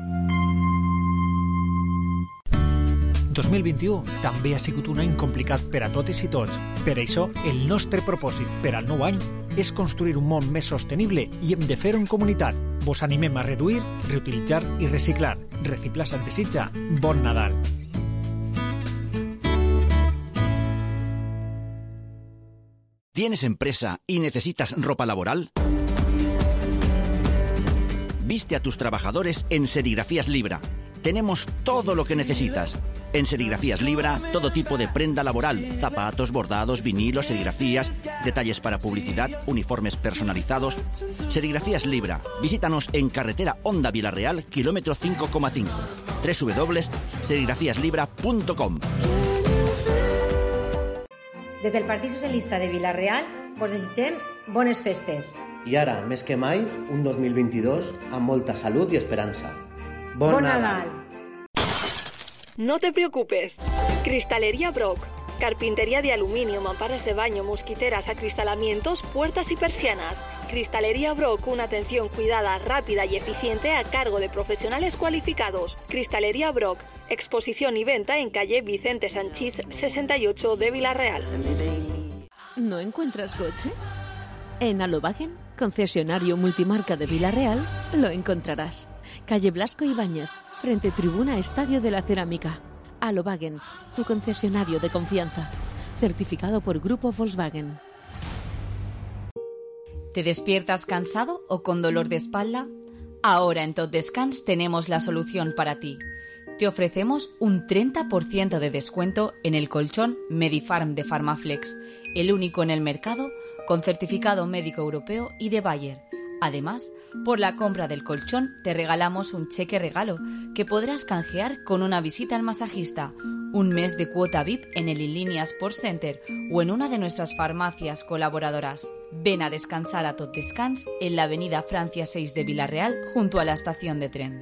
2021 també ha sigut un any complicat per a totes i tots. Per això, el nostre propòsit per al nou any és construir un món més sostenible i hem de fer-ho en comunitat. Vos animem a reduir, reutilitzar i reciclar. Reciclar se't desitja. Bon Nadal. ¿Tienes empresa y necesitas ropa laboral? Viste a tus trabajadores en Serigrafías Libra. Tenemos todo lo que necesitas. En Serigrafías Libra, todo tipo de prenda laboral, zapatos, bordados, vinilos, serigrafías, detalles para publicidad, uniformes personalizados. Serigrafías Libra. Visítanos en carretera Honda Vila-real, kilómetro 5,5. www.serigrafíaslibra.com. Des del Partit Socialista de Vila-real vos desitgem bones festes. I ara, més que mai, un 2022 amb molta salut i esperança. Bon Nadal! No te preocupes. Cristalería Brock. Carpintería de aluminio, mamparas de baño, mosquiteras, acristalamientos, puertas y persianas. Cristalería Brock, una atención cuidada, rápida y eficiente a cargo de profesionales cualificados. Cristalería Brock. Exposición y venta en calle Vicente Sanchís 68 de Vila-real. ¿No encuentras coche? En Alovagen, concesionario multimarca de Vila-real, lo encontrarás. Calle Blasco Ibáñez, frente tribuna Estadio de la Cerámica. Alobagen, tu concesionario de confianza. Certificado por Grupo Volkswagen. ¿Te despiertas cansado o con dolor de espalda? Ahora en Tot Descans tenemos la solución para ti. Te ofrecemos un 30% de descuento en el colchón Medifarm de Pharmaflex, el único en el mercado con certificado médico europeo y de Bayer. Además, por la compra del colchón te regalamos un cheque regalo que podrás canjear con una visita al masajista, un mes de cuota VIP en el Inlínea Sports Center o en una de nuestras farmacias colaboradoras. Ven a descansar a Tot Descans en la avenida Francia 6 de Villarreal junto a la estación de tren.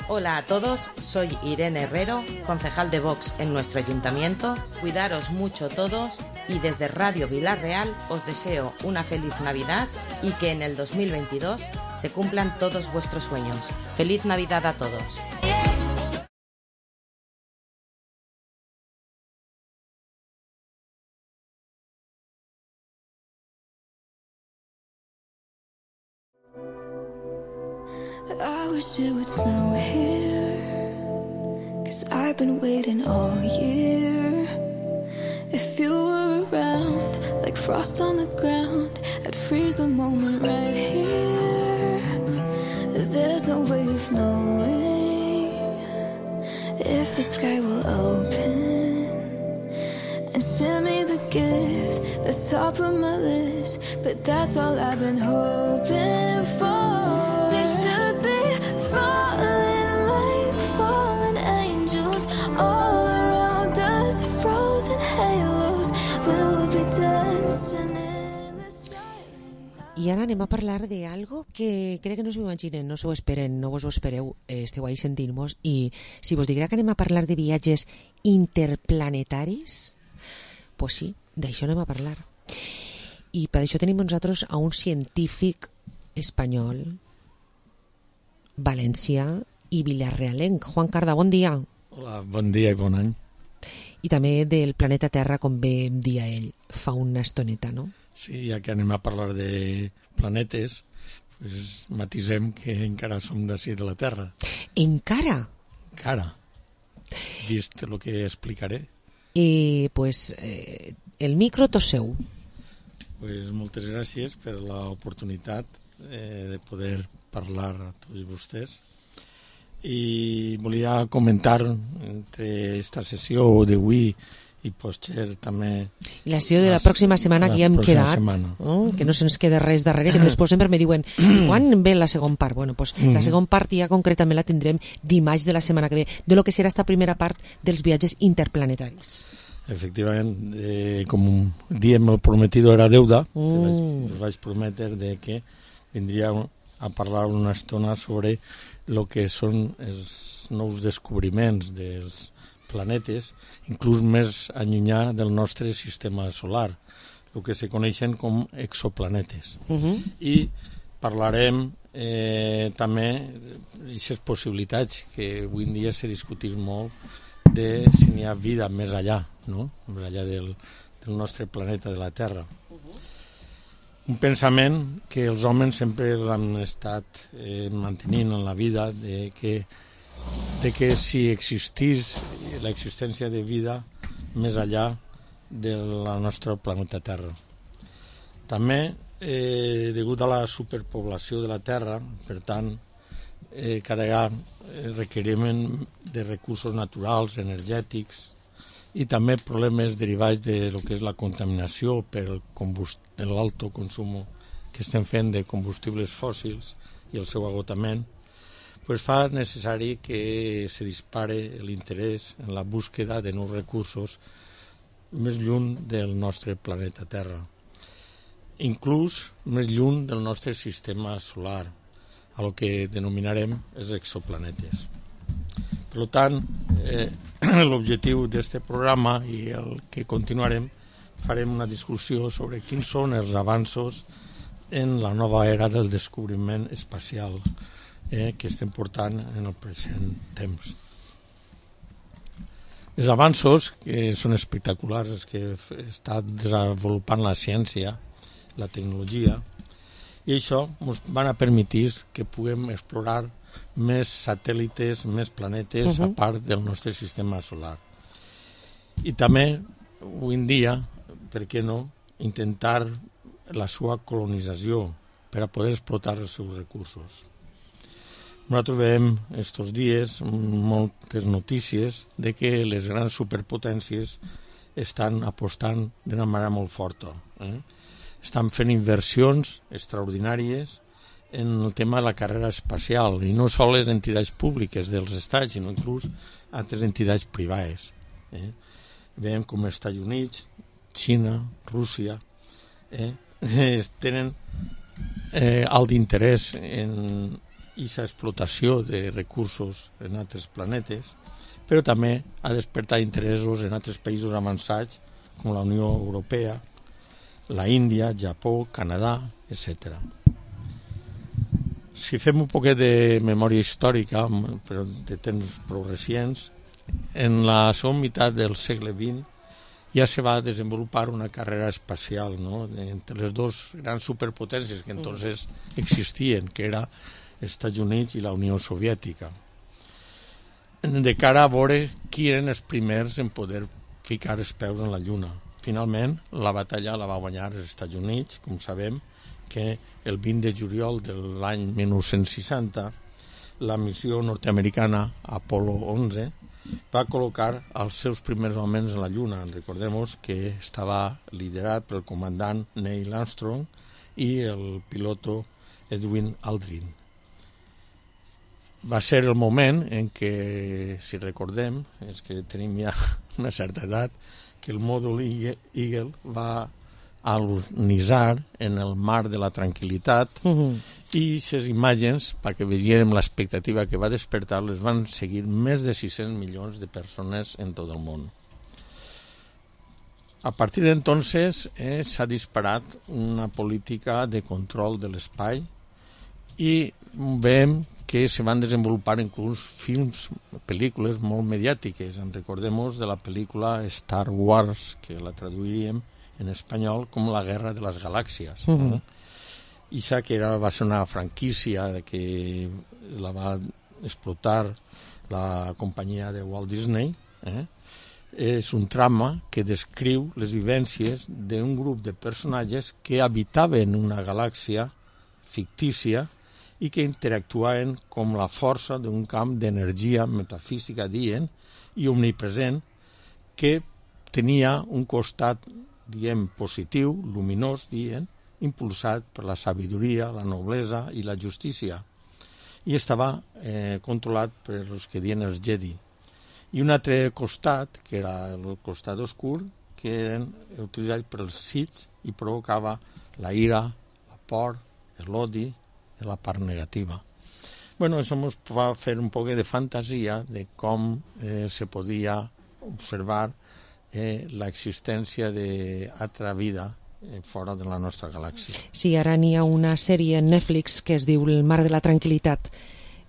Hola a todos, soy Irene Herrero, concejal de Vox en nuestro ayuntamiento. Cuidaros mucho todos y desde Radio Villarreal os deseo una feliz Navidad y que en el 2022 se cumplan todos vuestros sueños. ¡Feliz Navidad a todos! I wish it would snow here, 'cause I've been waiting all year. If you were around, like frost on the ground, I'd freeze the moment right here. There's no way of knowing if the sky will open and send me the gift that's top of my list, but that's all I've been hoping for. I ara anem a parlar d'algo que crec que no s'ho imaginen, no s'ho esperen, no vos ho espereu, esteu ahí sentint-nos, i si vos diguera que anem a parlar de viatges interplanetaris, pues sí, d'això anem a parlar. I per això tenim nosaltres a un científic espanyol, valencià i vilarrealenc. Juan Carda, bon dia. Hola, bon dia i bon any. I també del planeta Terra, com bé em dia ell fa una estoneta, no? Sí, ja que anem a parlar de planetes, pues matisem que encara som d'ací de la Terra. Encara? Encara. Vist el que explicaré. I pues el micro tot seu. Pues moltes gràcies per l'oportunitat de poder parlar a tots vostès. I volia comentar entre esta sessió d'avui i potser també... I la sessió de la pròxima setmana que ja hem quedat, que no se'ns queda res darrere, que després sempre me diuen quan ve la segona part? Bueno, pues la segona part ja concretament la tindrem dimarts de la setmana que ve, de lo que serà esta primera part dels viatges interplanetaris. Efectivament, com diem, el prometido era deuda, us vaig prometre de que vindria a parlar una estona sobre el que són els nous descobriments dels planetes, inclús més allunyà del nostre sistema solar, el que se coneixen com exoplanetes. I parlarem també d'aquestes possibilitats que avui en dia se discutís molt de si n'hi ha vida més allà, no? Més allà del nostre planeta, de la Terra. Un pensament que els homes sempre l'han estat mantenint en la vida, de que si existís l'existència de vida més allà del nostre planeta Terra. També, degut a la superpoblació de la Terra, per tant, cada vegada requerim de recursos naturals, energètics, i també problemes derivats de lo que és la contaminació per l'alto consum que estem fent de combustibles fòssils i el seu agotament, pues fa necessari que se dispare l'interès en la búsqueda de nous recursos més lluny del nostre planeta Terra, inclús més lluny del nostre sistema solar, a lo que denominarem els exoplanetes. Per tant, l'objectiu d'aquest programa i el que continuarem, farem una discussió sobre quins són els avanços en la nova era del descobriment espacial que estem portant en el present temps. Els avanços, que són espectaculars, que està desenvolupant la ciència, la tecnologia, I això ens van a permetir que puguem explorar més satèl·lites, més planetes, a part del nostre sistema solar. I també, avui en dia, per què no, intentar la seva colonització per a poder explotar els seus recursos. Nosaltres veiem estos dies moltes notícies de que les grans superpotències estan apostant d'una manera molt forta. Estan fent inversions extraordinàries en el tema de la carrera espacial, i no sols les entitats públiques dels estats, sinó inclús altres entitats privades. Veiem com els Estats Units, Xina, Rússia, tenen alt interès en aquesta explotació de recursos en altres planetes, però també ha despertat interessos en altres països avançats, com la Unió Europea, la Índia, Japó, Canadà, etc. Si fem un poquet de memòria històrica, però de temps prou recents, en la segona meitat del segle XX ja se va desenvolupar una carrera espacial, ¿no?, entre les dos grans superpotències que entonces existien, que era els Estats Units i la Unió Soviètica, de cara a veure qui eren els primers en poder ficar els peus en la Lluna. Finalment, la batalla la va guanyar els Estats Units, com sabem, que el 20 de juliol de l'any 1960 la missió nord-americana Apolo 11 va col·locar els seus primers homes en la Lluna. Recordem que estava liderat pel comandant Neil Armstrong i el piloto Edwin Aldrin. Va ser el moment en què, si recordem, és que tenim ja una certa edat, que el mòdul Eagle va alunitzar en el mar de la tranquil·litat i aquestes imatges, perquè vegérem l'expectativa que va despertar, les van seguir més de 600 milions de persones en tot el món. A partir d'entonces s'ha disparat una política de control de l'espai i veiem que se van desenvolupar inclús films, pel·lícules molt mediàtiques. En recordem de la pel·lícula Star Wars, que la traduiríem en espanyol com La Guerra de les Galàxies. I això que va ser una franquícia que la va explotar la companyia de Walt Disney. És un trama que descriu les vivències d'un grup de personatges que habitaven una galàxia fictícia i que interactuaven com la força d'un camp d'energia metafísica, dient, i omnipresent, que tenia un costat, diem, positiu, luminós, dient, impulsat per la sabidoria, la noblesa i la justícia. I estava controlat per els que diuen els Jedi. I un altre costat, que era el costat oscur, que eren utilitzats pels Sith i provocava la ira, la por, l'odi, la part negativa. Bueno, això ens va fer un poc de fantasia de com se podia observar l'existència d'altra vida fora de la nostra galàxia. Sí, ara n'hi ha una sèrie en Netflix que es diu El mar de la tranquil·litat,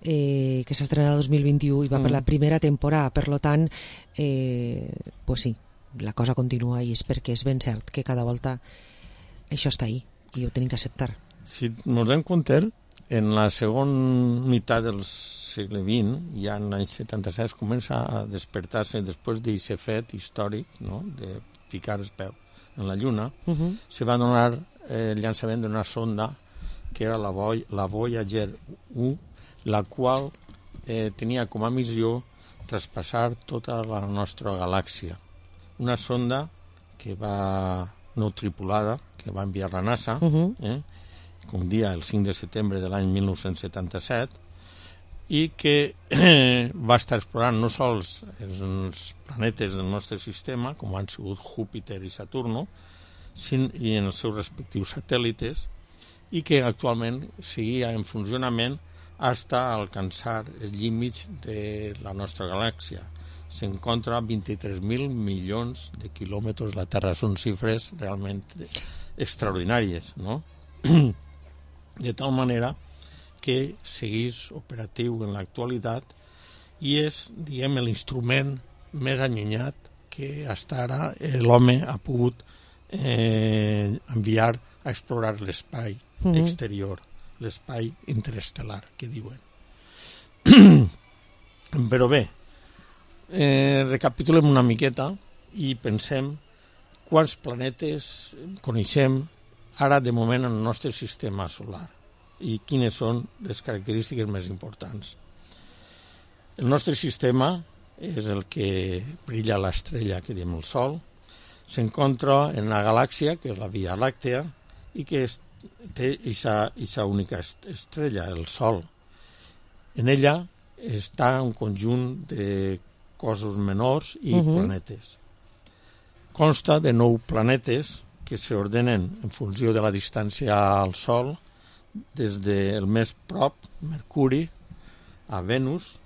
que s'ha estrenat el 2021 i va per la primera temporada. Per tant, pues sí, la cosa continua i és perquè és ben cert que cada volta això està ahí i ho tenim que acceptar. Si ens donem compte, en la segona meitat del segle XX, ja en l'any 76, comença a despertar-se després d'aquest fet històric, no?, de ficar els peus en la Lluna, se va donar el llançament d'una sonda que era la Voyager 1, la qual tenia com a missió traspassar tota la nostra galàxia. Una sonda que va no tripulada, que va enviar la NASA, com dia el 5 de setembre de l'any 1977, i que va estar explorant no sols els planetes del nostre sistema, com han sigut Júpiter i Saturno, i en els seus respectius satèl·lites, i que actualment seguia en funcionament fins a alcançar els límits de la nostra galàxia. S'encontra a 23.000 milions de quilòmetres de la Terra. Són xifres realment extraordinàries, no? De tal manera que seguís operatiu en l'actualitat i és, diguem, l'instrument més allunyat que fins ara l'home ha pogut enviar a explorar l'espai exterior, l'espai interestel·lar, que diuen. Però bé, recapitulem una miqueta i pensem quants planetes coneixem ara de moment en el nostre sistema solar i quines són les característiques més importants. El nostre sistema és el que brilla l'estrella que diem el Sol, s'encontra en una galàxia que és la Via Làctea i que té aquesta única estrella, el Sol. En ella està un conjunt de cossos menors i planetes. Consta de 9 planetes que s'ordenen en funció de la distància al Sol, des del més prop, Mercuri, a Venus,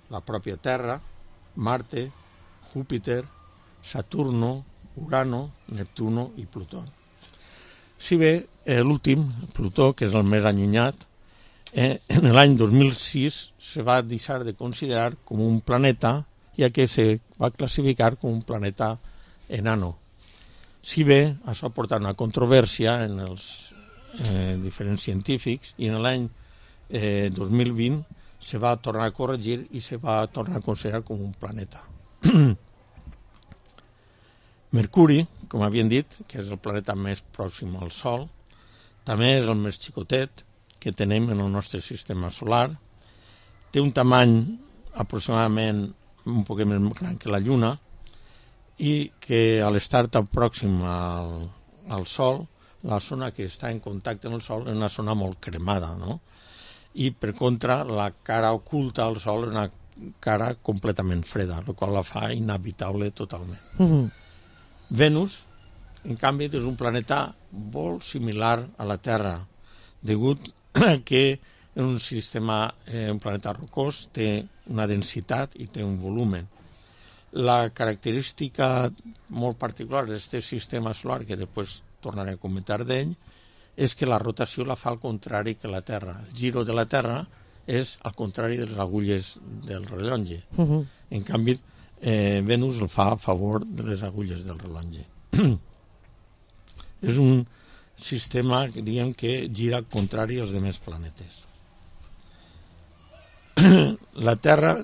la pròpia Terra, Marte, Júpiter, Saturno, Urano, Neptuno i Plutó. Si bé l'últim, Plutó, que és el més allunyat, en l'any 2006 se va deixar de considerar com un planeta, ja que se va classificar com un planeta enano. Si bé això ha portat una controvèrsia en els diferents científics i en l'any 2020 se va tornar a corregir i se va tornar a considerar com un planeta. Mercuri, com havien dit, que és el planeta més pròxim al Sol, també és el més xicotet que tenim en el nostre sistema solar. Té un tamany aproximadament un poc més gran que la Lluna i que a l'estar tan pròxim al Sol, la zona que està en contacte amb el Sol és una zona molt cremada, no? I per contra la cara oculta al Sol és una cara completament freda, el qual la fa inhabitable totalment. Venus, en canvi, és un planeta molt similar a la Terra, degut a que és un sistema, un planeta rocós, té una densitat i té un volumen. La característica molt particular d'aquest sistema solar, que després tornaré a comentar d'ell, és que la rotació la fa al contrari que la Terra. El giro de la Terra és al contrari de les agulles del rellotge. En canvi, Venus el fa a favor de les agulles del rellotge. És un sistema que diguem que gira al contrari als demés planetes. La Terra,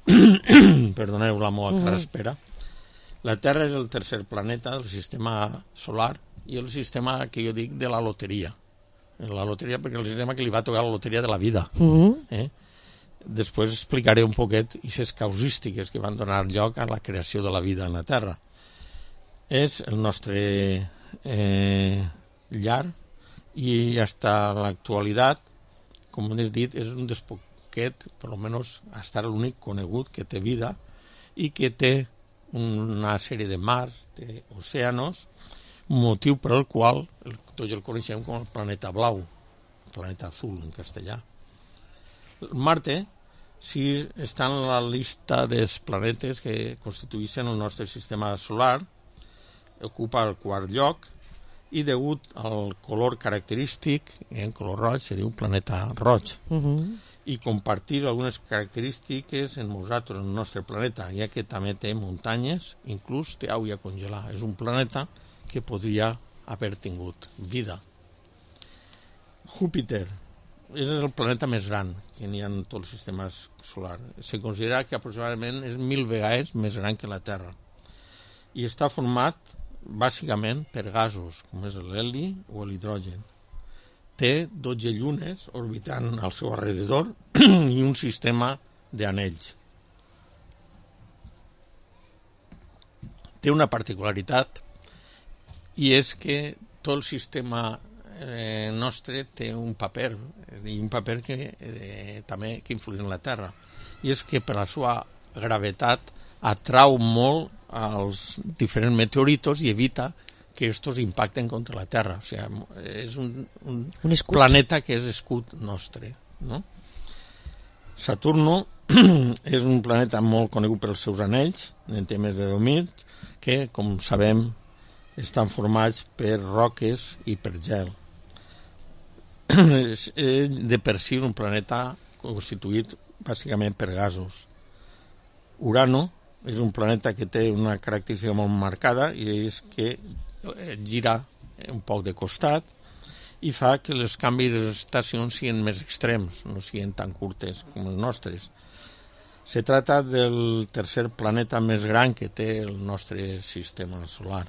perdoneu la meva carraspera, la Terra és el tercer planeta del sistema solar i el sistema que jo dic de la loteria. La loteria perquè és el sistema que li va tocar la loteria de la vida. Després explicaré un poquet aquestes causístiques que van donar lloc a la creació de la vida en la Terra. És el nostre llar i fins a l'actualitat, com he dit, és un dels poquet, per almenys hasta l'únic conegut que té vida i que té una sèrie de mars, d'oceanos, motiu per al qual tots el coneixem com el planeta blau, el planeta azul en castellà. Marte, si està en la llista dels planetes que constitueixen el nostre sistema solar, ocupa el quart lloc i degut al color característic, en color roig, se diu planeta roig. I compartir algunes característiques en nosaltres, en el nostre planeta, ja que també té muntanyes, inclús té aigua congelada. És un planeta que podria haver tingut vida. Júpiter és el planeta més gran que n'hi ha en tot el sistema solar. Se considera que aproximadament és 1000 vegades més gran que la Terra. I està format bàsicament per gasos, com és l'heli o l'hidrogen. Té 12 llunes orbitant al seu alrededor i un sistema d'anells. Té una particularitat i és que tot el sistema nostre té un paper i un paper que també que influeix en la Terra, i és que per la seva gravetat atrau molt als diferents meteoritos i evita que estos impacten contra la Terra. O sigui, és un planeta que és escut nostre, no? Saturno és un planeta molt conegut pels seus anells, en té més de 2.000, que, com sabem, estan formats per roques i per gel. És de per si un planeta constituït bàsicament per gasos. Urano és un planeta que té una característica molt marcada i és que gira un poc de costat i fa que els canvis d'estacions siguin més extrems, no siguin tan curtes com els nostres. Se trata del tercer planeta més gran que té el nostre sistema solar.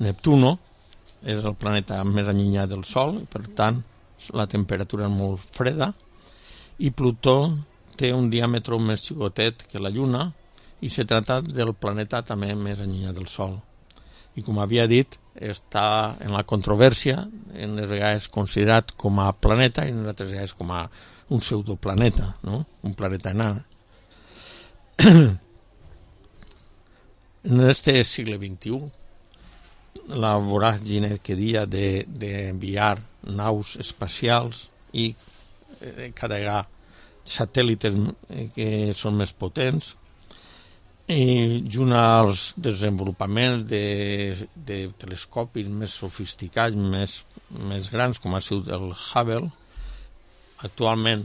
Neptuno és el planeta més allunyat del Sol, per tant la temperatura és molt freda, i Plutó té un diàmetre més xicotet que la Lluna i se trata del planeta també més allunyat del Sol. I com havia dit, està en la controvèrsia, en les vegades considerat com a planeta i en altres vegades com a un pseudoplaneta, no? Un planeta enà. En este segle XXI, la voràgine que dia d'enviar naus espacials i carregar satèl·lites que són més potents, i junt als desenvolupaments de telescopis més sofisticats, més grans, com ha sigut el Hubble, actualment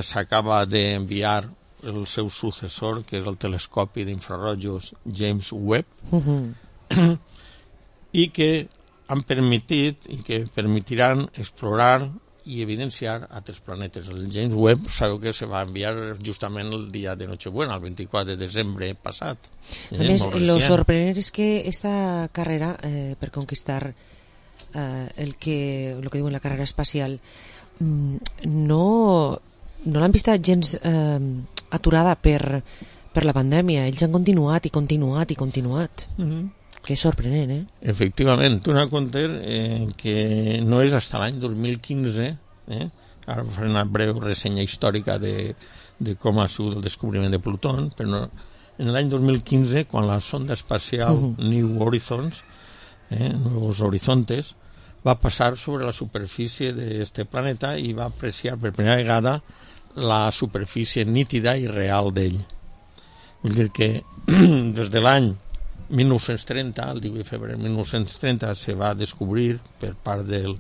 s'acaba d'enviar el seu successor, que és el telescopi d'infrarojos James Webb, i que han permitit i que permetiran explorar i evidenciar altres planetes. El James Webb sabeu que se va enviar justament el dia de Nochebuena, el 24 de desembre passat. A més, lo sorprenent és que esta carrera per conquistar lo que diuen la carrera espacial no l'han vista gens aturada per la pandèmia. Ells han continuat i continuat i continuat. Que és sorprenent, eh? Efectivament, tu n'has compte que no és fins l'any 2015, ara faré una breu ressenya històrica de com ha sigut el descobriment de Plutó, però en l'any 2015, quan la sonda espacial New Horizons, Nuevos Horizontes, va passar sobre la superfície d'aquest planeta i va apreciar per primera vegada la superfície nítida i real d'ell. Vull dir que des de l'any 1930, el 18 de febrer de 1930, se va descobrir per part del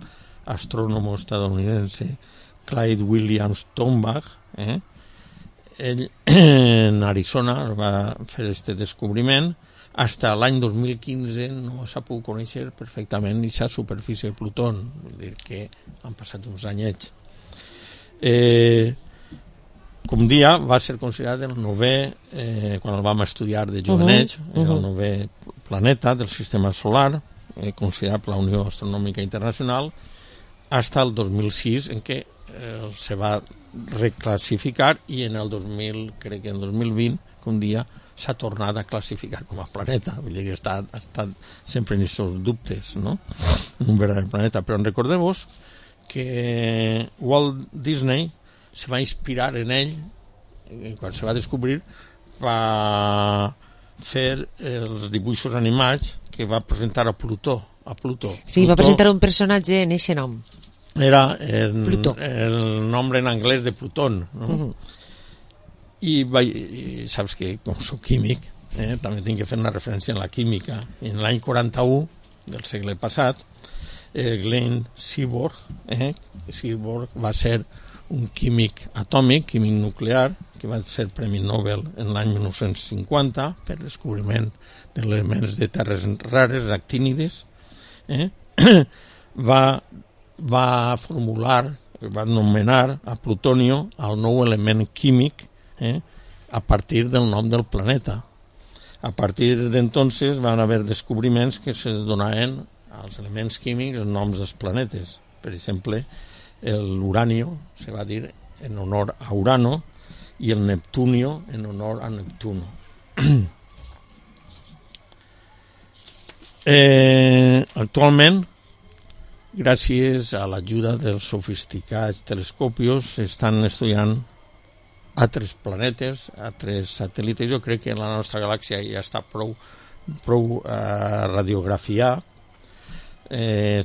astrònom estadounidense Clyde Williams Tombach, ell en Arizona va fer aquest descobriment. Fins l'any 2015 no s'ha pogut conèixer perfectament aquesta superfície de Plutó, vull dir que han passat uns anyets. Com dia va ser considerat el novè, quan el vam estudiar de jovenets, el novè planeta del sistema solar, considerat per la Unió Astronòmica Internacional, fins el 2006, en què se va reclassificar i en el 2000, crec que en el 2020, que un dia s'ha tornat a classificar com a planeta. Vull dir que ha estat sempre en aquests dubtes, no? En un verdader planeta. Però recordeu-vos que Walt Disney se va inspirar en ell, quan se va descobrir, va fer els dibuixos animats que va presentar a Plutó. Sí, va presentar un personatge en aquest nom. Era el nombre en anglès de Plutón, no? I saps que, com soc químic, també tinc que fer una referència en la química. En l'any 41 del segle passat, Glenn Seaborg va ser un químic atòmic, químic nuclear, que va ser Premi Nobel en l'any 1950 per descobriment d'elements de terres rares, actínides, va formular, va anomenar a plutonio el nou element químic a partir del nom del planeta. A partir d'entonces van haver descobriments que se donaven als elements químics els noms dels planetes. Per exemple, l'uranio se va dir en honor a Urano i el neptunio en honor a Neptuno. Actualment, gràcies a l'ajuda dels sofisticats telescopios, s'estan estudiant altres planetes, altres satèl·lites. Jo crec que la nostra galàxia ja està prou radiografiada.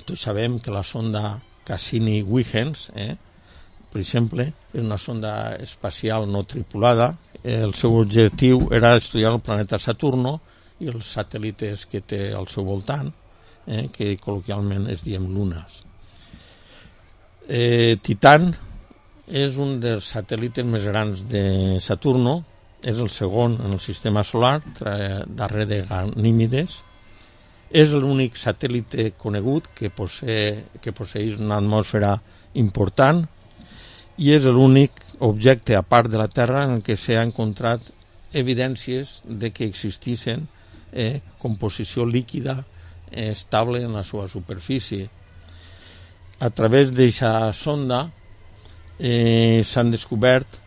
Tots sabem que la sonda Cassini-Huygens, per exemple, és una sonda espacial no tripulada. El seu objectiu era estudiar el planeta Saturno i els satèl·lites que té al seu voltant, que col·loquialment es diem lunes. Titán és un dels satèl·lites més grans de Saturno, és el segon en el sistema solar, darrere de Ganímedes. És l'únic satèl·lit conegut que posseeix una atmosfera important i és l'únic objecte, a part de la Terra, en què s'ha encontrat evidències de que existissin composició líquida estable en la seva superfície. A través d'aquesta sonda s'han descobert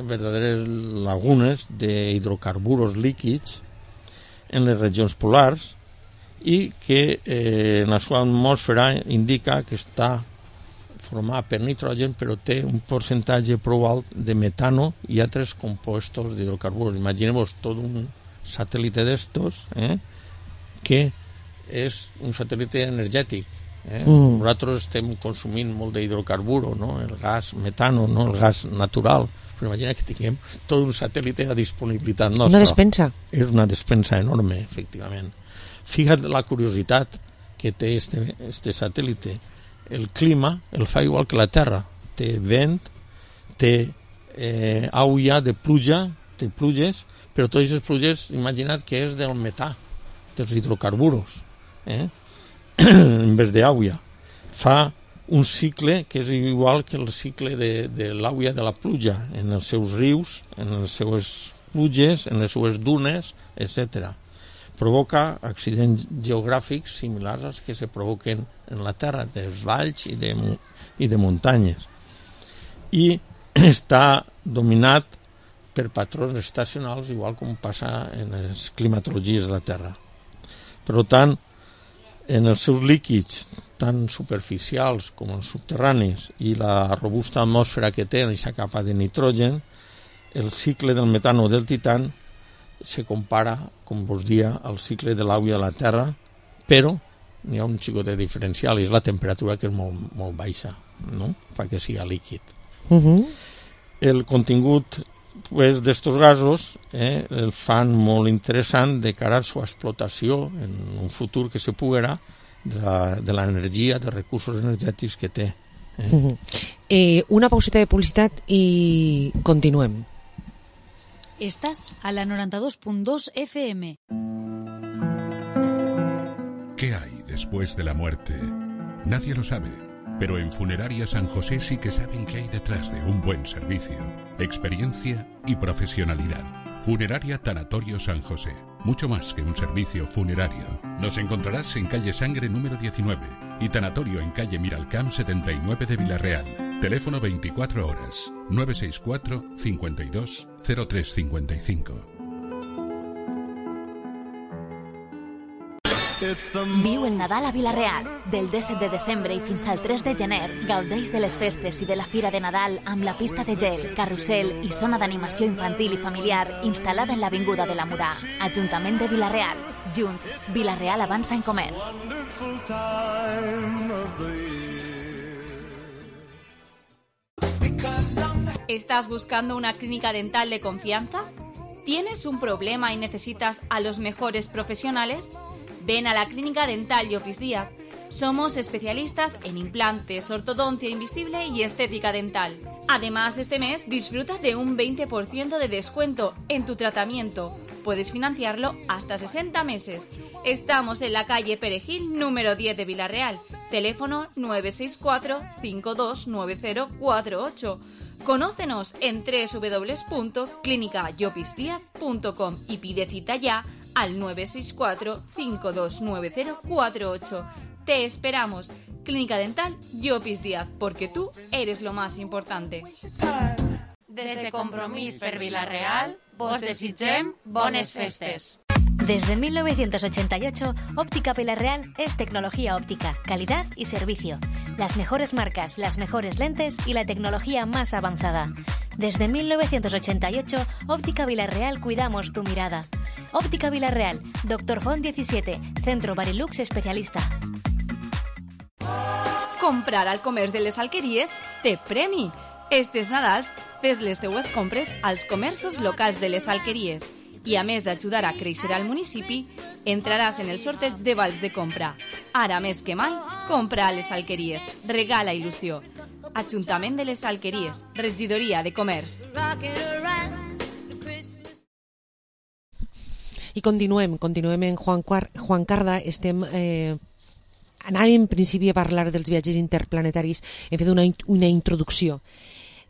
verdaderes lagunes d'hidrocarburs líquids en les regions polars i que en la seva atmosfera indica que està formada per nitrogen, però té un percentatge prou alt de metano i altres compostos d'hidrocarburs. Imagineu-vos tot un satèl·lit d'estos que és un satèl·lit energètic. Nosaltres estem consumint molt d'hidrocarbur, no? El gas metano, no? El gas natural, però imagina que tinguem tot un satèl·lit a disponibilitat nostra. Una despensa. És una despensa enorme, efectivament. Fija't la curiositat que té este satèl·lit. El clima el fa igual que la Terra. Té vent, té aigua de pluja, té pluges, però totes aquestes pluges, imagina't que és del metà, dels hidrocarburs, en vez d'aigua. Fa un cicle que és igual que el cicle de l'aigua de la pluja, en els seus rius, en les seues pluges, en les seues dunes, etc. Provoca accidents geogràfics similars als que se provoquen en la Terra, dels valls i de muntanyes. I està dominat per patrons estacionals, igual com passa en les climatologies de la Terra. Per tant, en els seus líquids, tant superficials com els subterranis, i la robusta atmosfera que té en aquesta capa de nitrogen, el cicle del metano o del titan se compara, com vos dia, al cicle de l'aigua de la Terra, però n'hi ha un xicotet diferencial, i és la temperatura, que és molt baixa, no? Perquè sigui líquid. El contingut d'estos gasos el fan molt interessant de cara a la seva explotació en un futur que se puguera de l'energia, dels recursos energètics que té. Una pauseta de publicitat i continuem. Estás a la 92.2 FM. ¿Qué hay después de la muerte? Nadie lo sabe, pero en Funeraria San José sí que saben qué hay detrás de un buen servicio, experiencia y profesionalidad. Funeraria Tanatorio San José, mucho más que un servicio funerario. Nos encontrarás en calle Sangre número 19 y Tanatorio en calle Miralcamp 79 de Villarreal. Teléfono 24 horas, 964 52 0355. Viu el Nadal a Vila-real. Del 17 de desembre i fins al 3 de gener, gaudeix de les festes i de la Fira de Nadal amb la pista de gel, carrusel i zona d'animació infantil i familiar instal·lada en l'Avinguda de la Mudà. Ajuntament de Vila-real. Junts, Vila-real avança en comerç. ¿Estás buscando una clínica dental de confianza? ¿Tienes un problema y necesitas a los mejores profesionales? Ven a la Clínica Dental Llopis Díaz. Somos especialistas en implantes, ortodoncia invisible y estética dental. Además, este mes disfruta de un 20% de descuento en tu tratamiento. Puedes financiarlo hasta 60 meses. Estamos en la calle Perejil, número 10 de Vila-real. Teléfono 964 529048. Conócenos en www.clinicallopisdiaz.com y pide cita ya al 964 529048. Te esperamos. Clínica Dental Llopis Díaz, porque tú eres lo más importante. Des de Compromís per Vila-real, vos desitgem bones festes. Desde 1988, Óptica Vila-real es tecnología óptica, calidad y servicio. Las mejores marcas, las mejores lentes y la tecnología más avanzada. Desde 1988, Óptica Vila-real cuidamos tu mirada. Óptica Vila-real, Dr. Font 17, Centro Barilux especialista. Comprar al comerç de les alqueries té premi. Estes Nadals, fes les teues compres als comerços locals de les alqueries. I a més d'ajudar a créixer al municipi, entraràs en el sorteig de vals de compra. Ara més que mai, compra a les alqueries. Regala il·lusió. Ajuntament de les Alqueries, Regidoria de Comerç. I continuem en Juan Carda. Anàvem en principi a parlar dels viatges interplanetaris, hem fet una introducció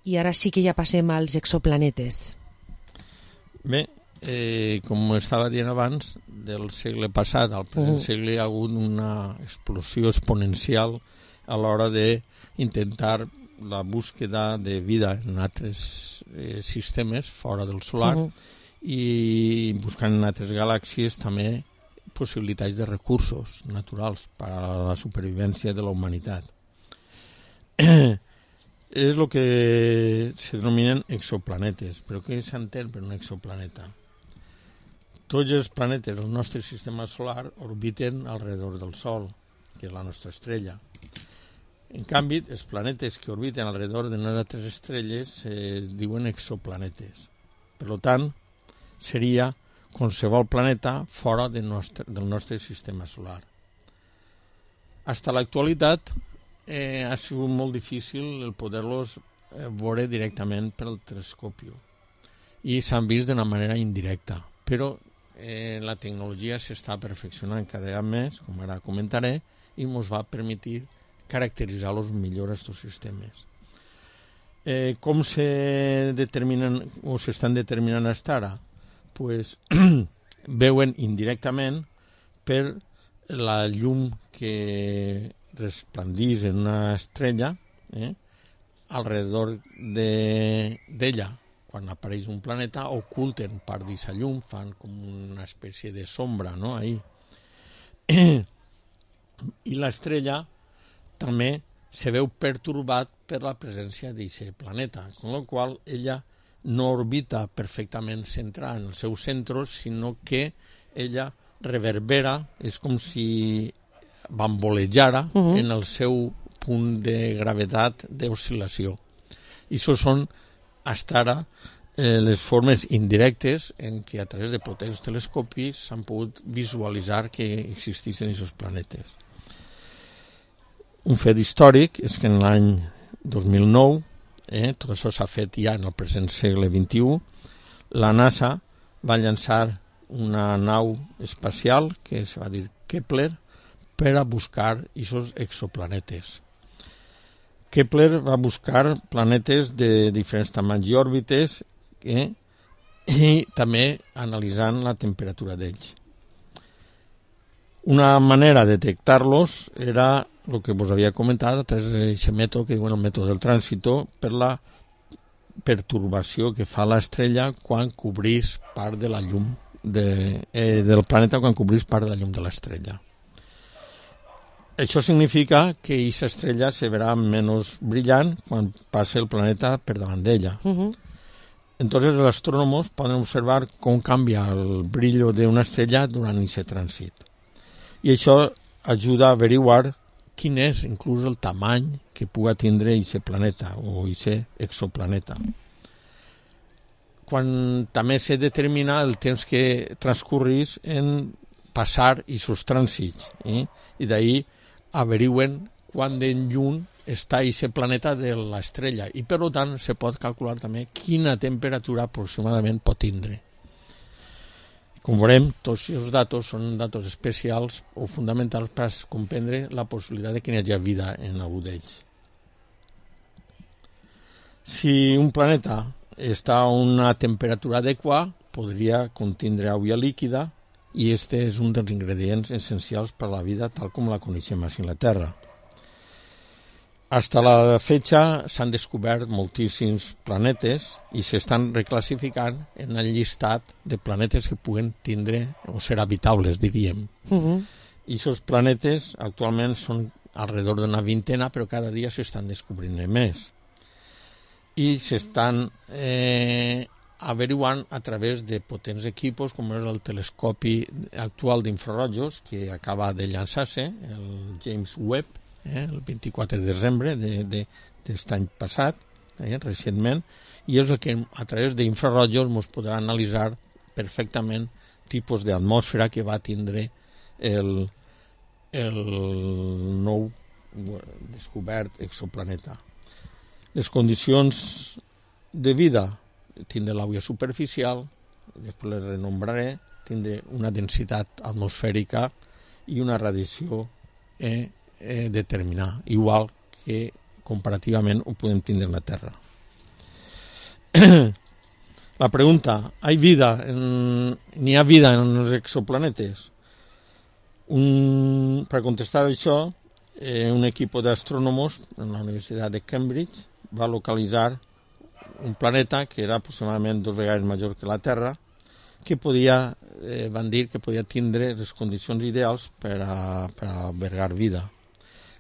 i ara sí que ja passem als exoplanetes. Bé, com estava dient abans, del segle passat al present segle hi ha hagut una explosió exponencial a l'hora d'intentar la búsqueda de vida en altres sistemes fora del solar i buscant en altres galàxies també possibilitats de recursos naturals per a la supervivència de la humanitat. És el que se denominen exoplanetes. Però què s'entén per un exoplaneta? Tots els planetes del nostre sistema solar orbiten alrededor del Sol, que és la nostra estrella. En canvi, els planetes que orbiten alrededor de altres estrelles diuen exoplanetes. Per tant, seria qualsevol planeta fora del nostre sistema solar. Fins a l'actualitat ha sigut molt difícil el poder-los veure directament pel telescopi i s'han vist d'una manera indirecta, però la tecnologia s'està perfeccionant cada vegada més, com ara comentaré, i ens va permetre caracteritzar-los millor aquests sistemes. Com se determinen o s'estan determinant fins ara? Pues, veuen indirectament per la llum que resplandeix en una estrella alrededor d'ella. Quan apareix un planeta oculten part d'aquesta llum, fan com una espècie de sombra, no? Ahí. I l'estrella també se veu pertorbat per la presència d'aquest planeta, amb la qual ella no orbita perfectament centrada en el seu centre, sinó que ella reverbera, és com si bambolejara en el seu punt de gravetat d'oscil·lació. I això són, fins ara, les formes indirectes en què a través de potents telescopis s'han pogut visualitzar que existeixen aquests planetes. Un fet històric és que en l'any 2009, tot això s'ha fet ja en el present segle XXI, la NASA va llançar una nau espacial que es va dir Kepler per a buscar aquests exoplanetes. Kepler va buscar planetes de diferents tamanys i òrbites i també analitzant la temperatura d'ells. Una manera de detectar-los era el que vos havia comentat a través d'aquest mètode que diuen el mètode del trànsito, per la pertorbació que fa l'estrella quan cobrís part de la llum del planeta, quan cobrís part de la llum de l'estrella. Això significa que aquesta estrella se verà menys brillant quan passa el planeta per davant d'ella. Entonces els astrònoms poden observar com canvia el brillo d'una estrella durant aquest trànsit. I això ajuda a averiguar quin és inclús el tamany que pugui tindre aquest planeta o aquest exoplaneta. Quan també se determina el temps que transcorrís en passar aquests trànsits, i d'ahir averigüen quant de lluny està aquest planeta de l'estrella i per tant se pot calcular també quina temperatura aproximadament pot tindre. Com veurem, tots aquests datos són datos especials o fonamentals per comprendre la possibilitat de que hi hagi vida en algú d'ells. Si un planeta està a una temperatura adequada, podria contindre aigua líquida i aquest és un dels ingredients essencials per a la vida tal com la coneixem a la Terra. Fins a la fecha s'han descobert moltíssims planetes i s'estan reclassificant en el llistat de planetes que puguen tindre o ser habitables, diríem. I aquests planetes actualment són alrededor d'una vintena, però cada dia s'estan descobrint més. I s'estan averiguant a través de potents equipos com és el telescopi actual d'infrarojos que acaba de llançar-se, el James Webb, el 24 de desembre d'aquest any passat, recentment, i és el que a través d'infrarojos ens podrà analitzar perfectament tipus d'atmosfera que va tindre el nou descobert exoplaneta. Les condicions de vida, tindre l'aigua superficial, després les renombraré, tindre una densitat atmosfèrica i una radiació determinada, igual que comparativament ho podem tindre en la Terra. La pregunta, ¿n'hi ha vida en els exoplanetes? Per contestar això, un equip d'astrónomos en la Universitat de Cambridge va localitzar un planeta que era aproximadament 2 vegades major que la Terra, que van dir que podia tindre les condicions ideals per albergar vida.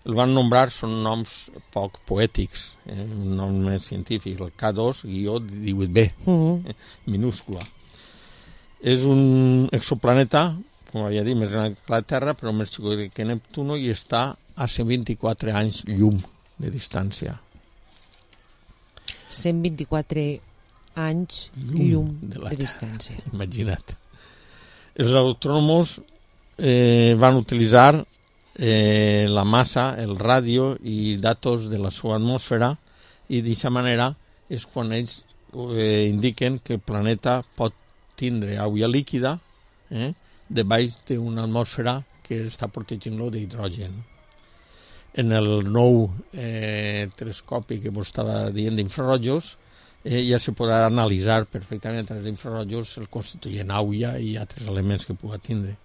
El van nombrar, són noms poc poètics, un nom més científic, el K2-18b, minúscula. És un exoplaneta, com havia dit, més gran que la Terra, però més xico que Neptuno, i està a 124 anys llum de distància. 124 anys llum de distància. Imagina't. Els astrònoms van utilitzar la massa, el ràdio i datos de la seva atmosfera, i d'aquesta manera és quan ells indiquen que el planeta pot tindre aigua líquida debaix d'una atmosfera que està protegint-lo d'hidrogen. En el nou telescopi que vos estava dient d'infrarrojos, ja se podrà analitzar perfectament a través d'infrarrojos el constituent aigua i altres elements que pugui tindre.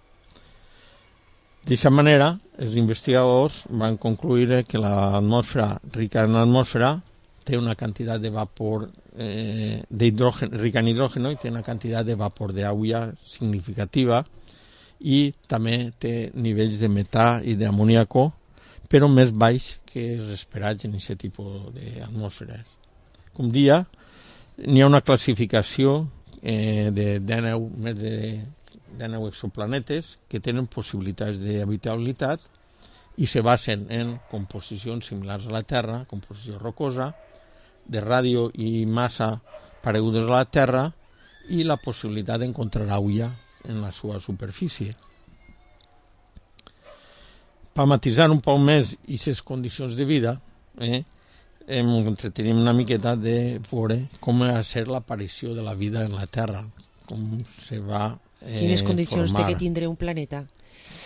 D'aquesta manera, els investigadors van concluir que l'atmosfera rica en atmosfera té una quantitat de vapor rica en hidrógeno i té una quantitat de vapor d'aigua significativa, i també té nivells de metà i d'amoníaco, però més baix que els esperats en aquest tipus d'atmosferes. Com dia, n'hi ha una classificació de 19 exoplanetes que tenen possibilitats d'habitabilitat i se basen en composicions similars a la Terra, composició rocosa, de ràdio i massa paregudes a la Terra, i la possibilitat d'encontrar aigua en la seva superfície. Per matisar un poc més aquestes condicions de vida, entretenim una miqueta de veure com va ser l'aparició de la vida en la Terra, com se va quines condicions formar. té que tindre un planeta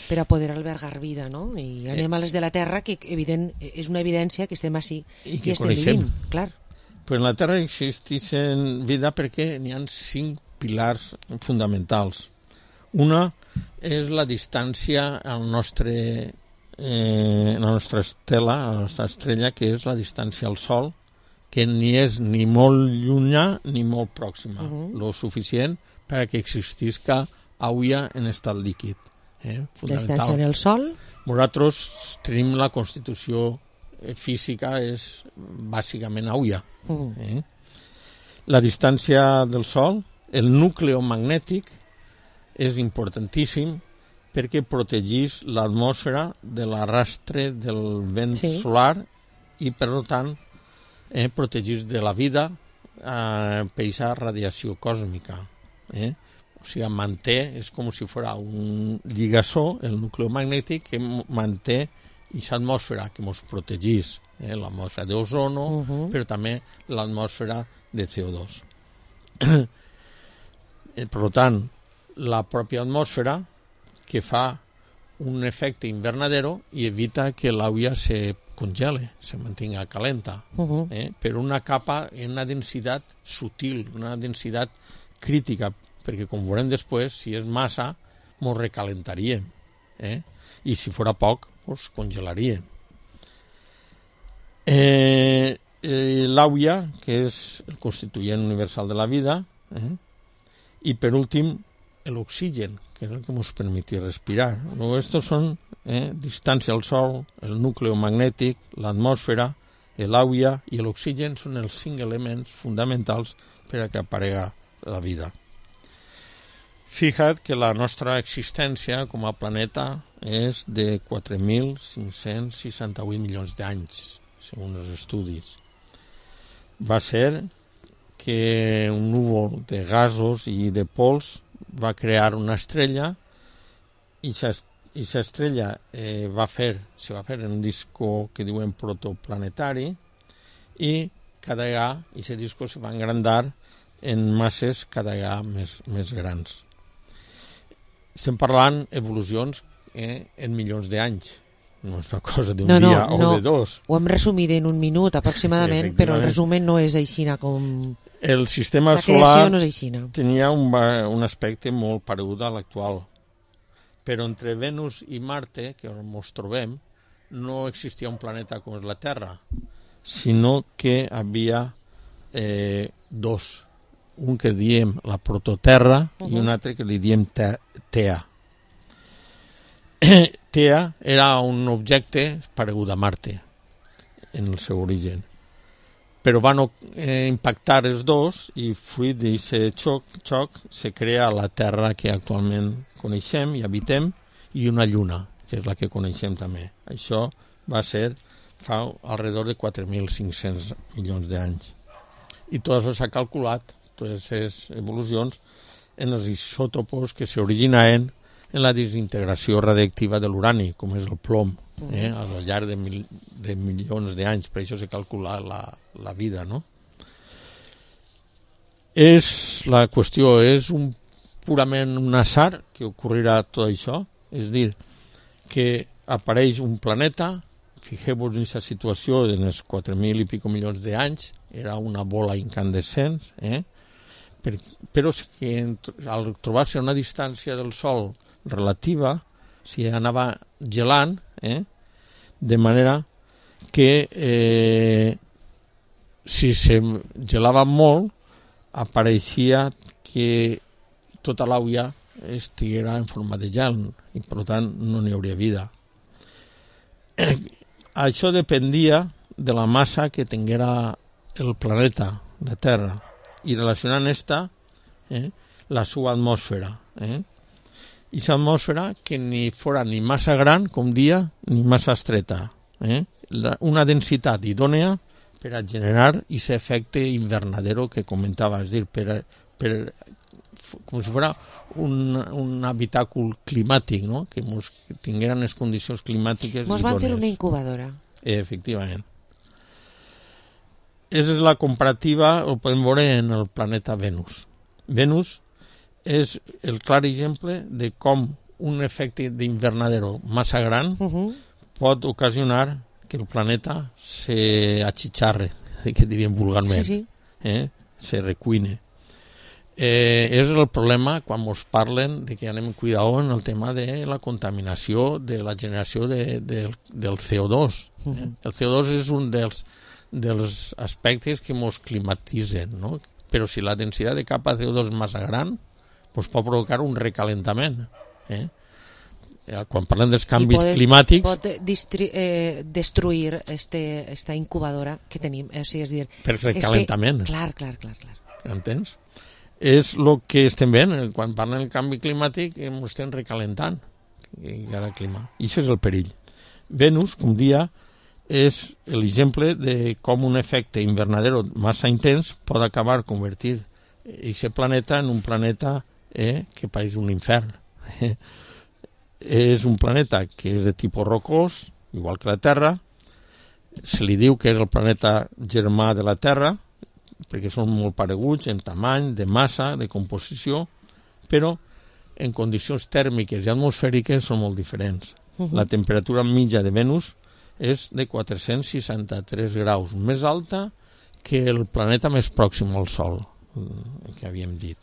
per a poder albergar vida, no? I anem a les de la Terra, que és una evidència que estem així i que estem coneixem. vivint, clar. Però en la Terra existeix vida perquè n'hi ha 5 pilars fonamentals. Una és la distància a la nostra estela, a la nostra estrella, que és la distància al Sol, que ni és ni molt llunyà ni molt pròxima, lo suficient per a que existisca aigua en estat líquid. La distància en el Sol? Nosaltres tenim la constitució física, és bàsicament aigua. La distància del Sol, el núcleo magnètic, és importantíssim perquè protegís l'atmosfera de l'arrastre del vent solar i, per tant, protegís de la vida per aquesta radiació còsmica. O sigui, manté, és com si fos un lligassó, el núcleo magnètic, que manté aquesta atmosfera que ens protegís, l'atmosfera d'ozono, però també l'atmosfera de CO2. Per tant, la pròpia atmosfera que fa un efecte invernadero i evita que l'aigua se congele, se mantinga calenta, per una capa en una densitat sutil, una densitat crítica, perquè com veurem després, si és massa, ens recalentaríem, i si fora poc, ens congelaríem. L'aigua, que és el constituent universal de la vida, i per últim, l'oxigen, que és el que ens permet respirar. Estos són distància al Sol, el núcleo magnètic, l'atmosfera, l'aigua i l'oxigen són els 5 elements fonamentals per a que aparega la vida. Fija't que la nostra existència com a planeta és de 4.568 milions d'anys, segons els estudis. Va ser que un núvol de gasos i de pols va crear una estrella i aquesta estrella se va fer en un disco que diuen protoplanetari, i cada vegada aquest disco se va engrandar en masses cada vegada més grans. Estem parlant evolucions en milions d'anys. No és una cosa d'un dia o de dos. Ho hem resumit en un minut aproximadament, però el resumen no és aixina com... El sistema solar tenia un aspecte molt paregut a l'actual. Però entre Venus i Marte, que ens trobem, no existia un planeta com és la Terra, sinó que havia dos. Un que diem la prototerra i un altre que li diem Tea. Tea era un objecte paregut a Marte en el seu origen, però van impactar els dos i fruit d'aquest xoc se crea la Terra que actualment coneixem i habitem i una lluna, que és la que coneixem també. Això va ser fa alrededor de 4.500 milions d'anys. I tot això s'ha calculat, totes les evolucions, en els isòtopos que s'originaven en la desintegració radiactiva de l'urani, com és el plom, al llarg de milions d'anys. Per això s'ha calculat la vida, no? La qüestió és purament un azar que ocorrirà tot això, és a dir, que apareix un planeta, fixeu-vos en aquesta situació en els 4.000 i pico milions d'anys, era una bola incandescent, però que al trobar-se a una distància del Sol relativa, s'hi anava gelant, de manera que si se gelava molt, apareixia que tota l'aigua estiguera en forma de gel i per tant no n'hi hauria vida. Això dependia de la massa que tinguera el planeta, la Terra, i relacionant la seva atmosfera. I aquesta atmosfera que ni fora ni massa gran, com dia, ni massa estreta. Una densitat idònea per a generar aquest efecte invernadero que comentava, és a dir, com si fos un habitàcul climàtic, no? Que tingueren les condicions climàtiques idònees. Ens van fer una incubadora. Efectivament. És la comparativa, ho podem veure en el planeta Venus. Venus és el clar exemple de com un efecte d'invernadero massa gran pot ocasionar que el planeta s'achicharre, que diríem vulgarment, se recuine. És el problema quan ens parlen de que anem cuidado en el tema de la contaminació, de la generació del CO2. El CO2 és un dels aspectes que ens climatitzen, no? Però si la densitat de capa de CO2 és massa gran, doncs pot provocar un recalentament. Quan parlem dels canvis climàtics... Pot destruir esta incubadora que tenim. És dir, per recalentament. Clar. Entens? És el que estem veient. Quan parlem del canvi climàtic, ens estem recalentant cada clima. I això és el perill. Venus, com dia, és l'exemple de com un efecte invernadero massa intens pot acabar convertir aquest planeta en un planeta que pareix un infern. És un planeta que és de tipus rocós, igual que la Terra. Se li diu que és el planeta germà de la Terra, perquè són molt pareguts en tamany, de massa, de composició, però en condicions tèrmiques i atmosfèriques són molt diferents. La temperatura mitja de Venus és de 463 graus, més alta que el planeta més pròxim al Sol, que havíem dit.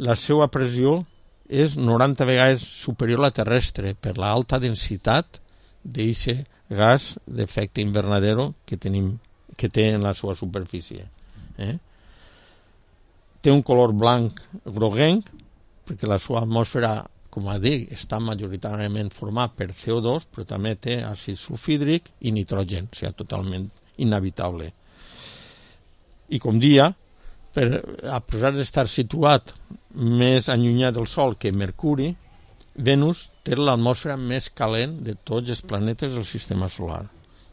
La seva pressió és 90 vegades superior a la terrestre per l'alta densitat d'aquest gas d'efecte invernadero que té en la seva superfície. Té un color blanc groguenc perquè la seva atmosfera, com a dir, està majoritàriament format per CO2, però també té àcid sulfídric i nitrogen, o sigui, totalment inhabitable. I com dia, a pesar d'estar situat més allunyat del Sol que Mercuri, Venus té l'atmosfera més calent de tots els planetes del sistema solar.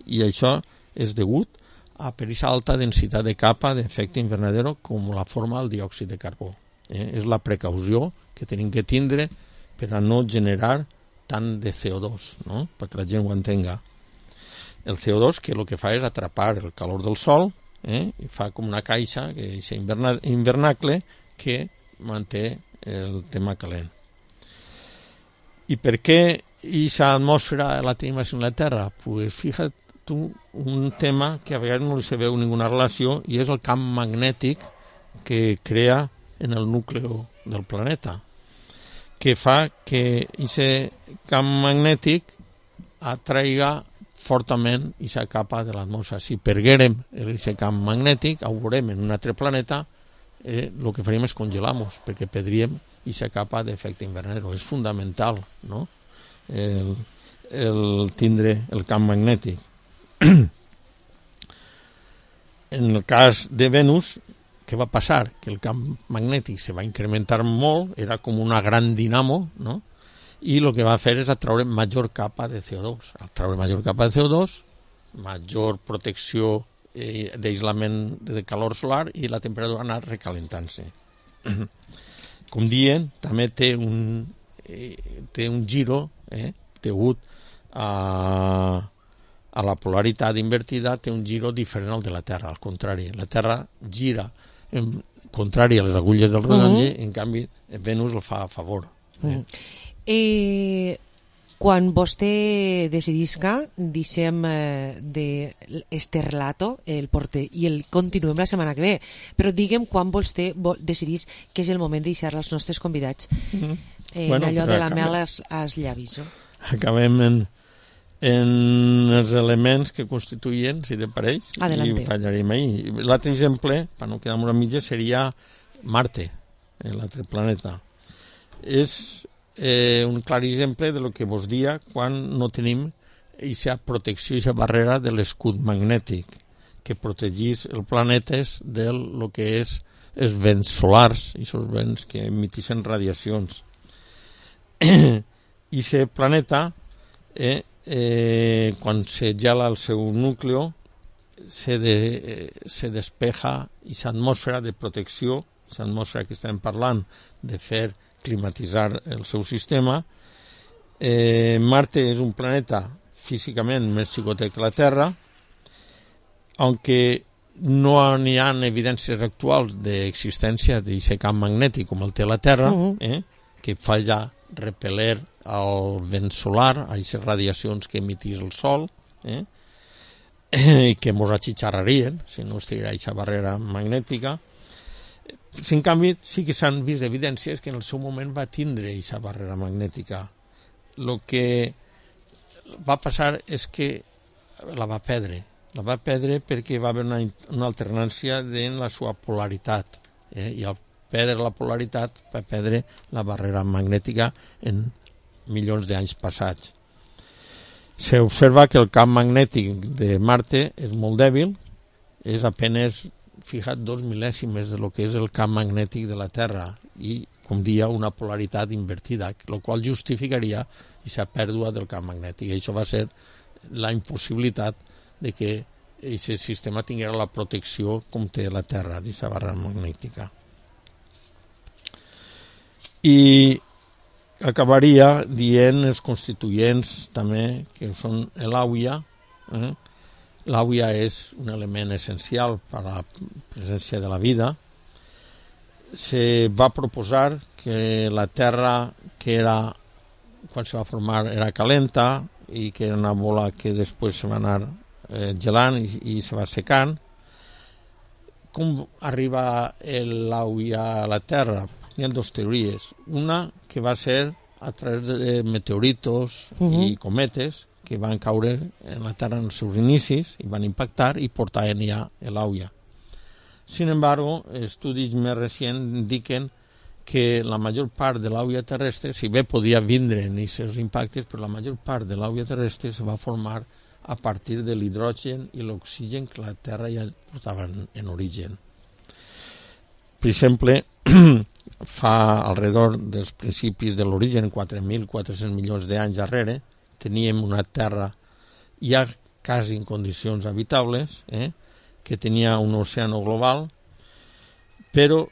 I això és degut a per aquesta alta densitat de capa d'efecte invernadero com la forma del diòxid de carbó. És la precaució que tenim que tindre per a no generar tant de CO2, no? Perquè la gent ho entenga. El CO2 que el que fa és atrapar el calor del Sol i fa com una caixa, que és invernacle, que manté el tema calent. ¿Y por qué esa atmósfera la tenemos en la Tierra? Pues fíjate tú, un tema que a veces no se ve ninguna relación y es el camp magnètic que crea en el núcleo del planeta, que fa que aquest camp magnètic atraiga fortament aquesta capa de l'atmosfera. Si perguérem aquest camp magnètic, ho veurem en un altre planeta, el que faríem és congelar-nos, perquè perdríem aquesta capa d'efecte invernadero. És fundamental, no?, el tindre el camp magnètic. En el cas de Venus, què va passar? Que el camp magnètic se va incrementar molt, era com una gran dinamo, no?, i el que va fer és atraure major capa de CO2. Al traure major capa de CO2, major protecció d'aïslament de calor solar i la temperatura ha anat recalentant-se. Com dient, també té un giro degut a la polaritat invertida, té un giro diferent al de la Terra, al contrari. La Terra gira contrari a les agulles del rellotge, en canvi Venus el fa a favor. Quan vostè decidisca, deixem este relato, el porter, i el continuem la setmana que ve, però diguem quan vostè decidís que és el moment de deixar als nostres convidats allò de la mel als llavis. Acabem en els elements que constituïen, si te pareix, i ho tallarem ahir. L'altre exemple, per no quedar-nos a mitges, seria Marte, l'altre planeta. És un clar exemple de lo que vos dia quan no tenim aquesta protecció, aquesta barrera de l'escut magnètic que protegís els planetes del que és els vents solars, aquests vents que emitixen radiacions. I aquest planeta, quan se gela el seu núcleo, se despeja aquesta atmosfera de protecció, aquesta atmosfera que estem parlant de fer climatitzar el seu sistema. Marte és un planeta físicament més xicotet que la Terra, aunque no n'hi ha evidències actuals d'existència d'aquest camp magnètic com el té la Terra, que fa ja repeler el vent solar, a aquestes radiacions que emitís el Sol, i que ens atxitxarrarien si no estigués aquesta barrera magnètica. En canvi, sí que s'han vist evidències que en el seu moment va tindre aquesta barrera magnètica. El que va passar és que la va perdre. La va perdre perquè va haver una alternància en la seva polaritat. I al perdre la polaritat va perdre la barrera magnètica en milions d'anys passats. S'observa que el camp magnètic de Marte és molt dèbil, és apenas 2 mil·lèsimes de lo que és el camp magnètic de la Terra i, com dia, una polaritat invertida, el qual justificaria aquesta pèrdua del camp magnètic. I això va ser la impossibilitat de que aquest sistema tingués la protecció com té la Terra, d'aquesta barrera magnètica. I acabaria dient els constituents també, que són l'àuia. L'àuia és un element essencial per a la presència de la vida. Se va proposar que la Terra, que era, quan se va formar, era calenta i que era una bola que després se va anar gelant i se va secant. Com arriba l'àuia a la Terra? Hi ha dues teories. Una que va ser a través de meteoritos i cometes que van caure en la Terra en els seus inicis i van impactar i portaven ja l'àuia. Sin embargo, estudis més recents indiquen que la major part de l'àuia terrestre, si bé podia vindre en aquests impactes, però la major part de l'àuia terrestre se va formar a partir de l'hidrogen i l'oxigen que la Terra ja portava en origen. Per exemple, fa alrededor dels principis de l'origen, 4.400 milions d'anys darrere, teníem una Terra ja quasi en condicions habitables, que tenia un oceà global, però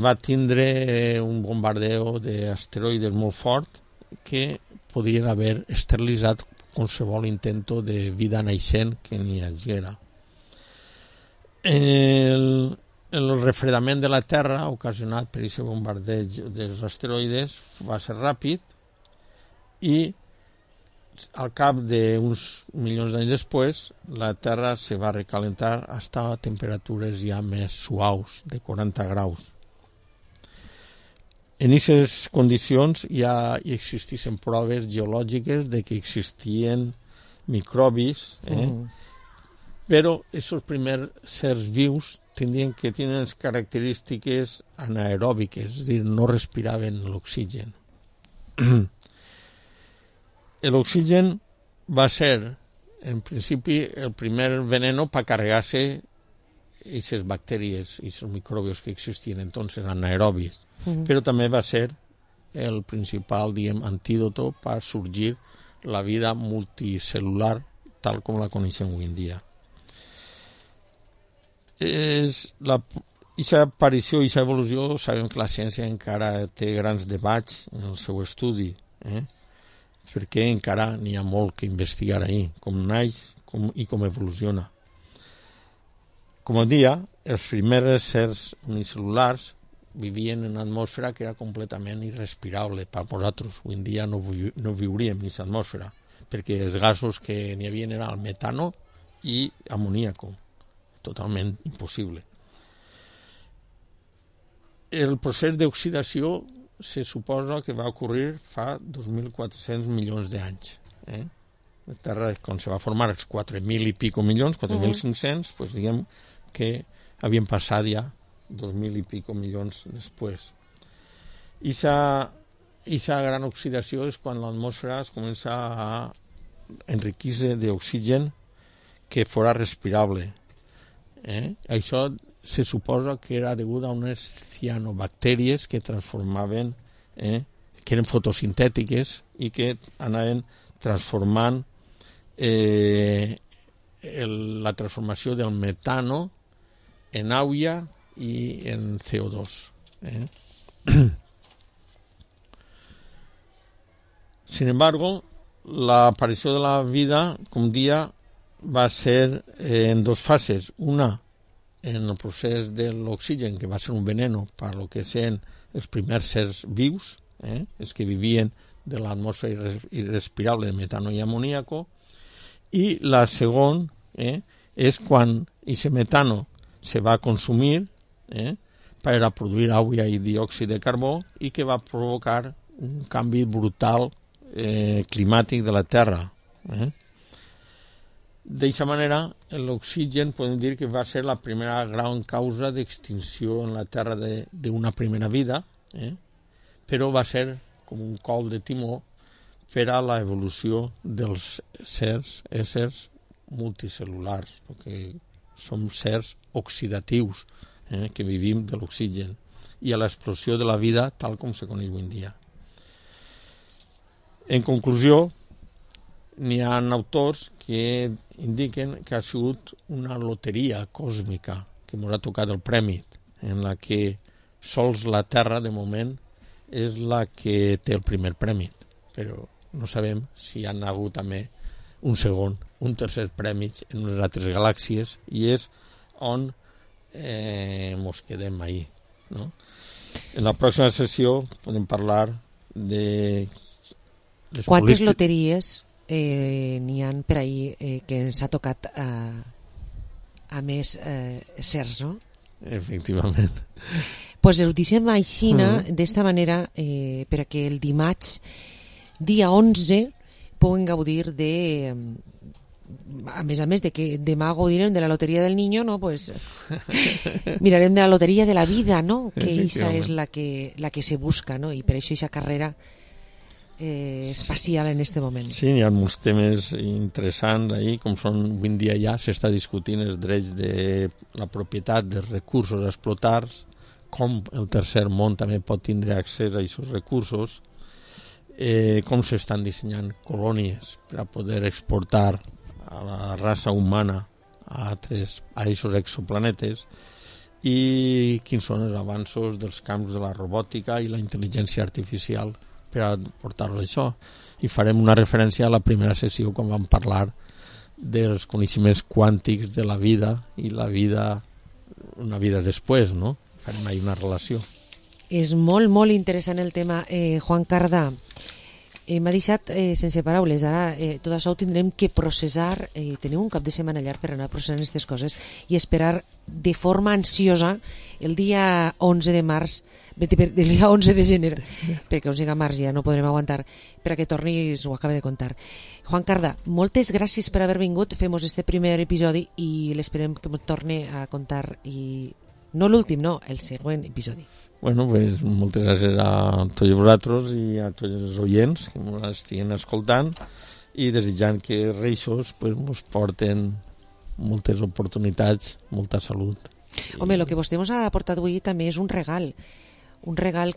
va tindre un bombardeo d'asteroides molt fort que podien haver esterilitzat qualsevol intento de vida naixent que n'hi haguera. El refredament de la Terra ocasionat per aquest bombardeig dels asteroides va ser ràpid i al cap d'uns milions d'anys després la Terra se va recalentar hasta temperatures ja més suaus, de 40 graus. En aquestes condicions ja existissin proves geològiques de que existien microbis, però aquests primers sers vius tenen les característiques anaeròbiques, és a dir, no respiraven l'oxigen. L'oxigen va ser, en principi, el primer veneno per carregar-se aquestes bactèries, aquests microbios que existien entonces, anaerobis, però també va ser el principal, antídoto per sorgir la vida multicel·lular tal com la coneixem avui en dia. Aquesta aparició i aquesta evolució, sabem que la ciència encara té grans debats en el seu estudi, perquè encara n'hi ha molt que investigar ahir, com naix i com evoluciona. Com a dia, els primers sers unicel·lulars vivien en una atmosfera que era completament irrespirable per nosaltres. Avui en dia no viuríem en aquesta atmosfera, perquè els gasos que n'hi havia eren el metano i amoníaco, totalment impossible. El procés d'oxidació se suposa que va ocorrir fa 2.400 milions d'anys. La Terra, quan se va formar els 4.000 i pico milions, 4.500, doncs diguem que havien passat ja 2.000 i pico milions després. I aquesta gran oxidació és quan l'atmosfera es comença a enriquir-se d'oxigen que fora respirable. Això se suposa que era degut a unes cianobactèries que transformaven, que eren fotosintètiques i que anaven transformant la transformació del metano en aigua i en CO2. Sin embargo, la aparició de la vida, com dia, va ser en dos fases. Una, en el procés de l'oxigen, que va ser un veneno per lo que eren els primers sers vius, els que vivien de l'atmosfera irrespirable de metano i amoníaco, i la segona és quan aquest metano se va consumir per a produir aigua i diòxid de carbó i que va provocar un canvi brutal climàtic de la Terra. D'aquesta manera, l'oxigen podem dir que va ser la primera gran causa d'extinció en la Terra d'una primera vida, però va ser com un col de timó per a l'evolució dels éssers multicel·lulars, perquè som sers oxidatius que vivim de l'oxigen i a l'explosió de la vida tal com se coneix avui en dia. En conclusió, n'hi ha autors que indiquen que ha sigut una loteria còsmica que ens ha tocat el premi, en la que sols la Terra, de moment, és la que té el primer premi, però no sabem si hi ha hagut també un segon, un tercer premi en unes altres galàxies, i és on ens quedem ahir. En la pròxima sessió podem parlar de... Quantes loteries n'hi ha per ahir que ens ha tocat a més sers, no? Efectivament. Pues ho deixem així, d'esta manera, perquè el dimarts, dia 11, puguen gaudir de... A més de que demà gaudirem de la loteria del niño, no? Pues mirarem de la loteria de la vida, no? Que això és la que se busca, no? I per això aquesta carrera espacial en este moment. Sí, hi ha molts temes interessants ahí, com són, avui en dia ja s'està discutint els drets de la propietat dels recursos a explotar, com el tercer món també pot tindre accés a aquests recursos, com s'estan dissenyant colònies per a poder exportar a la raça humana a aquests exoplanetes, i quins són els avanços dels camps de la robòtica i la intel·ligència artificial per a portar-los a això. I farem una referència a la primera sessió quan vam parlar dels coneixements quàntics de la vida i la vida, una vida després, no? Farem ahí una relació. És molt, molt interessant el tema, Juan Cardà. M'ha deixat sense paraules. Ara tot això ho tindrem que processar. Tenim un cap de setmana llarg per anar processant aquestes coses i esperar de forma ansiosa el dia 11 de març, el dia 11 de gener, perquè 11 de març ja no podrem aguantar, per a que tornis, ho acaba de contar. Juan Carda, moltes gràcies per haver vingut. Fem-nos este primer episodi i l'esperem que ens torni a contar, i no l'últim, no, el següent episodi. Bueno, pues moltes gràcies a tots vosaltres i a tots els oients que ens estiguin escoltant, i desitjant que Reixos pues, ens porten moltes oportunitats, molta salut. Home, el que vostè ens ha portat avui també és un regal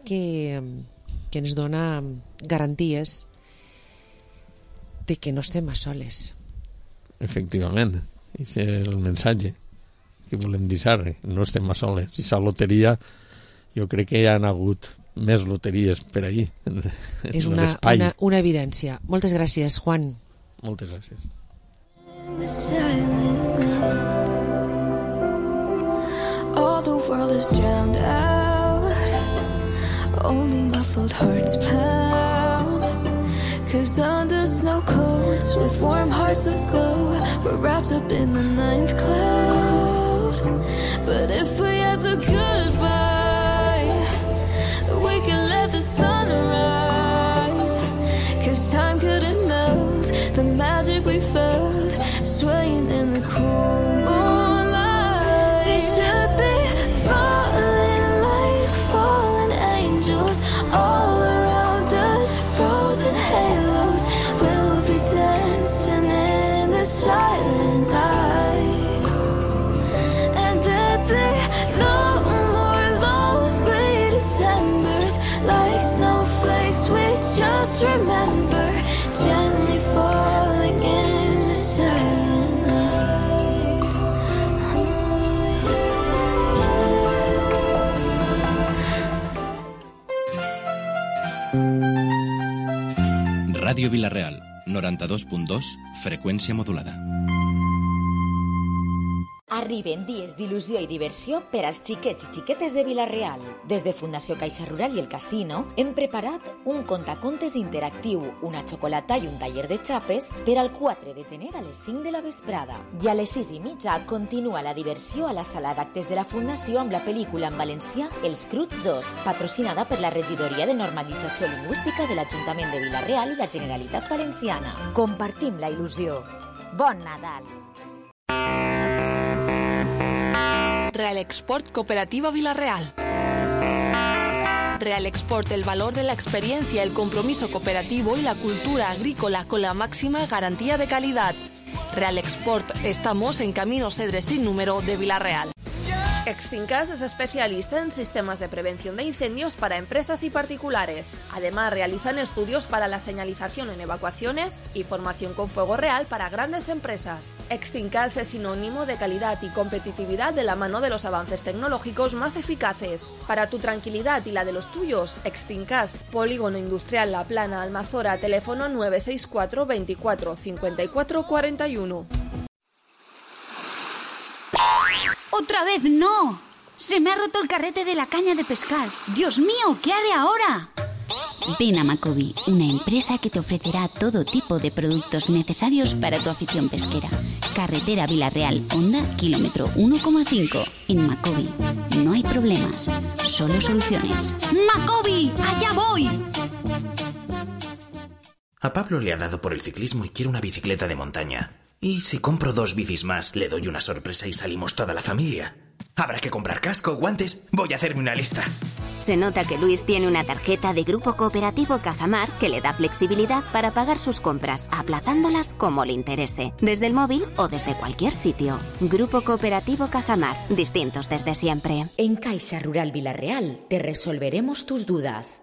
que ens dona garanties de que no estem a soles. Efectivament, és el missatge que volem deixar, no estem a soles. I la loteria, jo crec que hi ha hagut més loteries per ahí. És una evidència. Moltes gràcies, Juan. Moltes gràcies. All the world is drowned out, only muffled hearts pound. 'Cause under snow coats with warm hearts aglow, we're wrapped up in the ninth cloud. But if we had a goodbye, we could let the sun rise. 'Cause time couldn't melt the magic we felt, swaying in the cool moonlight. They should be falling like fallen angels all around us, frozen halos. We'll be dancing in the silent night, and there'd be no more lonely Decembers like snowflakes we just remember, gently falling in the silent night. Ràdio Vila-real, 92.2, freqüència modulada. Arriben dies d'il·lusió i diversió per als xiquets i xiquetes de Vila-real. Des de Fundació Caixa Rural i el Casino hem preparat un contacontes interactiu, una xocolata i un taller de xapes per al 4 de gener a les 5 de la vesprada. I a les 6:30 continua la diversió a la sala d'actes de la Fundació amb la pel·lícula en valencià Els Cruts 2, patrocinada per la Regidoria de Normalització Lingüística de l'Ajuntament de Vila-real i la Generalitat Valenciana. Compartim la il·lusió. Bon Nadal! Real Export Cooperativa Vila-real. Real Export, el valor de la experiencia, el compromiso cooperativo y la cultura agrícola con la máxima garantía de calidad. Real Export, estamos en Camino Cedres sin número de Vila-real. Extincas es especialista en sistemas de prevención de incendios para empresas y particulares. Además, realizan estudios para la señalización en evacuaciones y formación con fuego real para grandes empresas. Extincas es sinónimo de calidad y competitividad de la mano de los avances tecnológicos más eficaces. Para tu tranquilidad y la de los tuyos, Extincas, Polígono Industrial La Plana, Almazora, teléfono 964 24 54 41. ¡Otra vez no! ¡Se me ha roto el carrete de la caña de pescar! ¡Dios mío! ¿Qué haré ahora? Ven a Macobi, una empresa que te ofrecerá todo tipo de productos necesarios para tu afición pesquera. Carretera Vila-real, Honda, kilómetro 1,5. En Macobi no hay problemas, solo soluciones. ¡Macobi! ¡Allá voy! A Pablo le ha dado por el ciclismo y quiere una bicicleta de montaña. ¿Y si compro 2 bicis más, le doy una sorpresa y salimos toda la familia? Habrá que comprar casco, guantes. Voy a hacerme una lista. Se nota que Luis tiene una tarjeta de Grupo Cooperativo Cajamar que le da flexibilidad para pagar sus compras, aplazándolas como le interese, desde el móvil o desde cualquier sitio. Grupo Cooperativo Cajamar, distintos desde siempre. En Caixa Rural Vila-real te resolveremos tus dudas.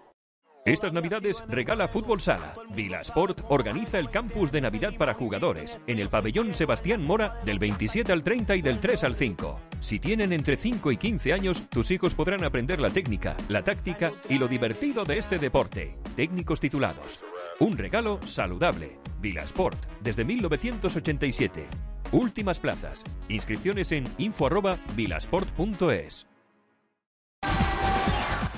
Estas Navidades regala Fútbol Sala. Vilasport organiza el campus de Navidad para jugadores en el pabellón Sebastián Mora del 27 al 30 y del 3 al 5. Si tienen entre 5 y 15 años, tus hijos podrán aprender la técnica, la táctica y lo divertido de este deporte. Técnicos titulados. Un regalo saludable. Vilasport, desde 1987. Últimas plazas. Inscripciones en info@vilasport.es.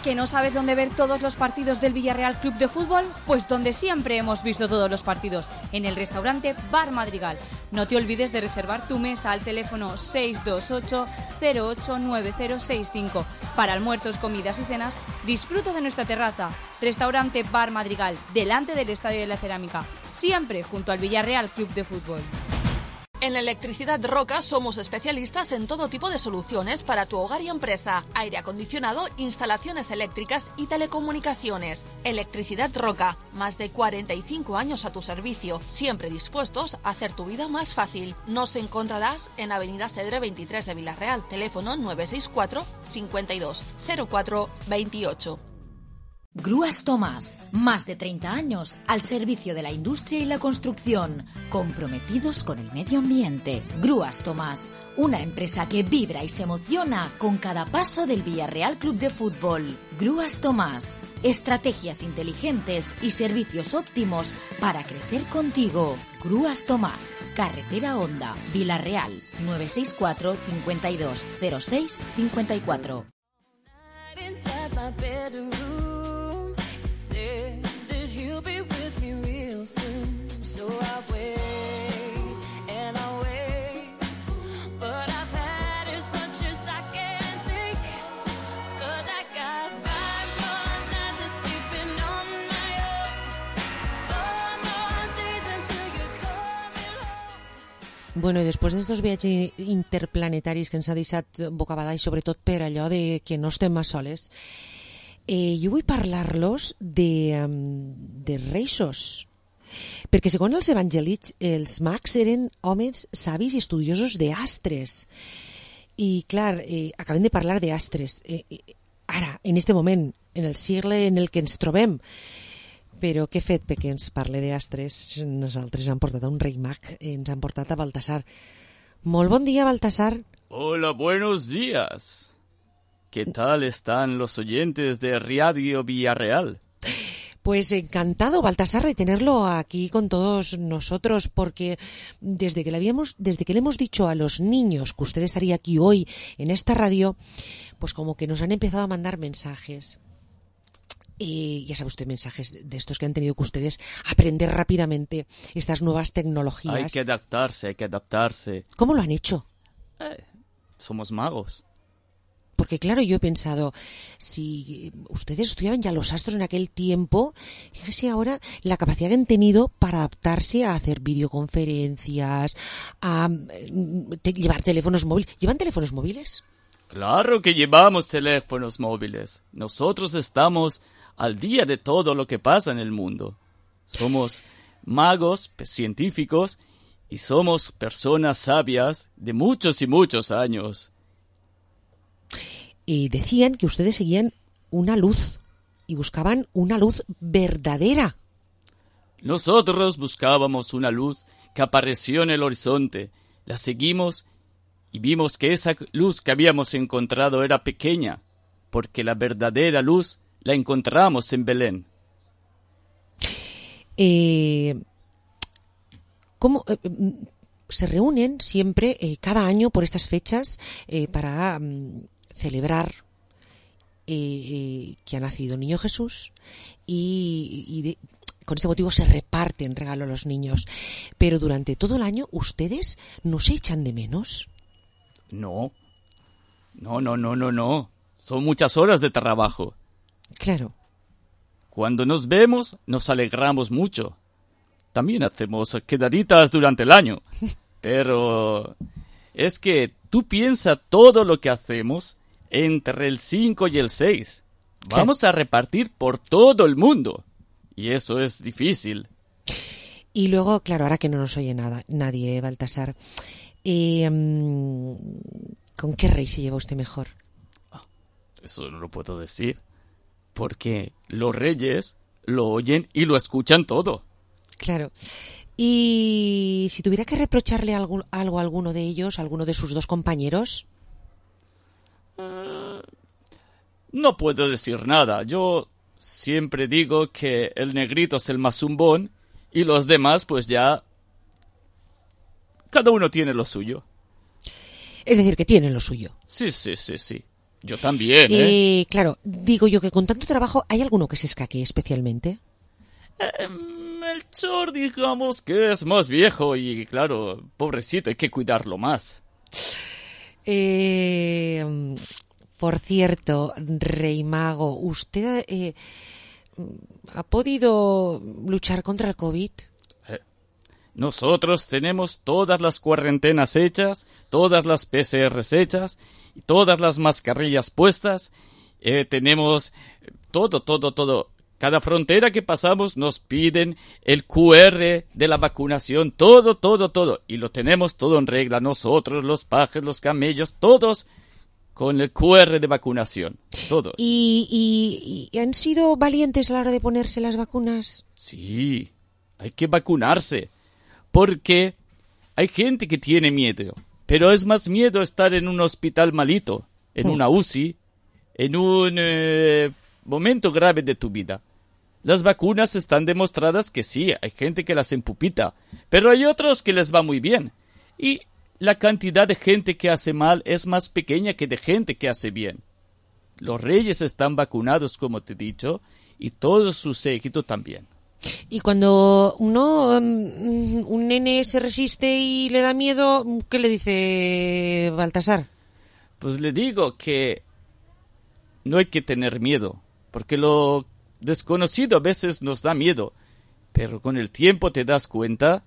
¿Que no sabes dónde ver todos los partidos del Villarreal Club de Fútbol? Pues donde siempre hemos visto todos los partidos, en el restaurante Bar Madrigal. No te olvides de reservar tu mesa al teléfono 628-089065. Para almuerzos, comidas y cenas, disfruta de nuestra terraza. Restaurante Bar Madrigal, delante del Estadio de la Cerámica, siempre junto al Villarreal Club de Fútbol. En Electricidad Roca somos especialistas en todo tipo de soluciones para tu hogar y empresa. Aire acondicionado, instalaciones eléctricas y telecomunicaciones. Electricidad Roca, más de 45 años a tu servicio, siempre dispuestos a hacer tu vida más fácil. Nos encontrarás en Avenida Cedre 23 de Villarreal, teléfono 964 52 04 28. Grúas Tomás, más de 30 años al servicio de la industria y la construcción, comprometidos con el medio ambiente. Grúas Tomás, una empresa que vibra y se emociona con cada paso del Villarreal Club de Fútbol. Grúas Tomás, estrategias inteligentes y servicios óptimos para crecer contigo. Grúas Tomás, Carretera Honda, Villarreal, 964 52 06 54. Bueno, i després d'estos viatges interplanetaris que ens ha deixat bocabadall, sobretot per allò de que no estem a soles, jo vull parlar-los de reixos, perquè segons els evangelits els mags eren homes savis i estudiosos d'astres, i clar, acabem de parlar d'astres ara, en este moment, en el segle en el que ens trobem, però què fet perquè ens parle d'astres? Nosaltres hem portat a un rei mag, ens han portat a Baltasar. Molt bon dia, Baltasar. Hola, buenos días. ¿Qué tal están los oyentes de Radio Villarreal? Pues encantado, Baltasar, de tenerlo aquí con todos nosotros, porque desde que le hemos dicho a los niños que usted estaría aquí hoy en esta radio, pues como que nos han empezado a mandar mensajes. Ya sabe usted, mensajes de estos que han tenido que ustedes aprender rápidamente estas nuevas tecnologías. Hay que adaptarse. ¿Cómo lo han hecho? Somos magos. Porque claro, yo he pensado, si ustedes estudiaban ya los astros en aquel tiempo, fíjese ahora la capacidad que han tenido para adaptarse a hacer videoconferencias, a llevar teléfonos móviles. ¿Llevan teléfonos móviles? Claro que llevamos teléfonos móviles. Nosotros estamos al día de todo lo que pasa en el mundo. Somos magos, científicos, y somos personas sabias de muchos y muchos años. Y decían que ustedes seguían una luz y buscaban una luz verdadera. Nosotros buscábamos una luz que apareció en el horizonte. La seguimos y vimos que esa luz que habíamos encontrado era pequeña, porque la verdadera luz la encontramos en Belén. ¿Cómo se reúnen siempre, cada año por estas fechas, para celebrar que ha nacido el niño Jesús y con este motivo se reparten regalos a los niños? Pero durante todo el año, ¿ustedes no se echan de menos? No. Son muchas horas de trabajo. Claro. Cuando nos vemos, nos alegramos mucho. También hacemos quedaditas durante el año. Pero es que tú piensas todo lo que hacemos entre el 5 y el 6. Vamos a repartir por todo el mundo. Y eso es difícil. Y luego, claro, ahora que no nos oye nadie, Baltasar, ¿con qué rey se lleva usted mejor? Eso no lo puedo decir. Porque los reyes lo oyen y lo escuchan todo. Claro. Y si tuviera que reprocharle algo a alguno de ellos, a alguno de sus dos compañeros. No puedo decir nada. Yo siempre digo que el negrito es el más zumbón y los demás pues ya... Cada uno tiene lo suyo. Es decir, que tienen lo suyo. Sí. Yo también, ¿eh? Claro, digo yo que con tanto trabajo, ¿hay alguno que se escaquee especialmente? Melchor, digamos que es más viejo y, claro, pobrecito, hay que cuidarlo más. Por cierto, Rey Mago, ¿usted ha podido luchar contra el COVID? Nosotros tenemos todas las cuarentenas hechas, todas las PCRs hechas, todas las mascarillas puestas, tenemos todo. Cada frontera que pasamos nos piden el QR de la vacunación, todo. Y lo tenemos todo en regla, nosotros, los pajes, los camellos, todos con el QR de vacunación, todos. ¿Y han sido valientes a la hora de ponerse las vacunas? Sí, hay que vacunarse, porque hay gente que tiene miedo, pero es más miedo estar en un hospital malito, en una UCI, en un momento grave de tu vida. Las vacunas están demostradas que sí, hay gente que las empupita, pero hay otros que les va muy bien. Y la cantidad de gente que hace mal es más pequeña que de gente que hace bien. Los reyes están vacunados, como te he dicho, y todo su séquito también. Y cuando un nene se resiste y le da miedo, ¿qué le dice Baltasar? Pues le digo que no hay que tener miedo, porque lo desconocido a veces nos da miedo, pero con el tiempo te das cuenta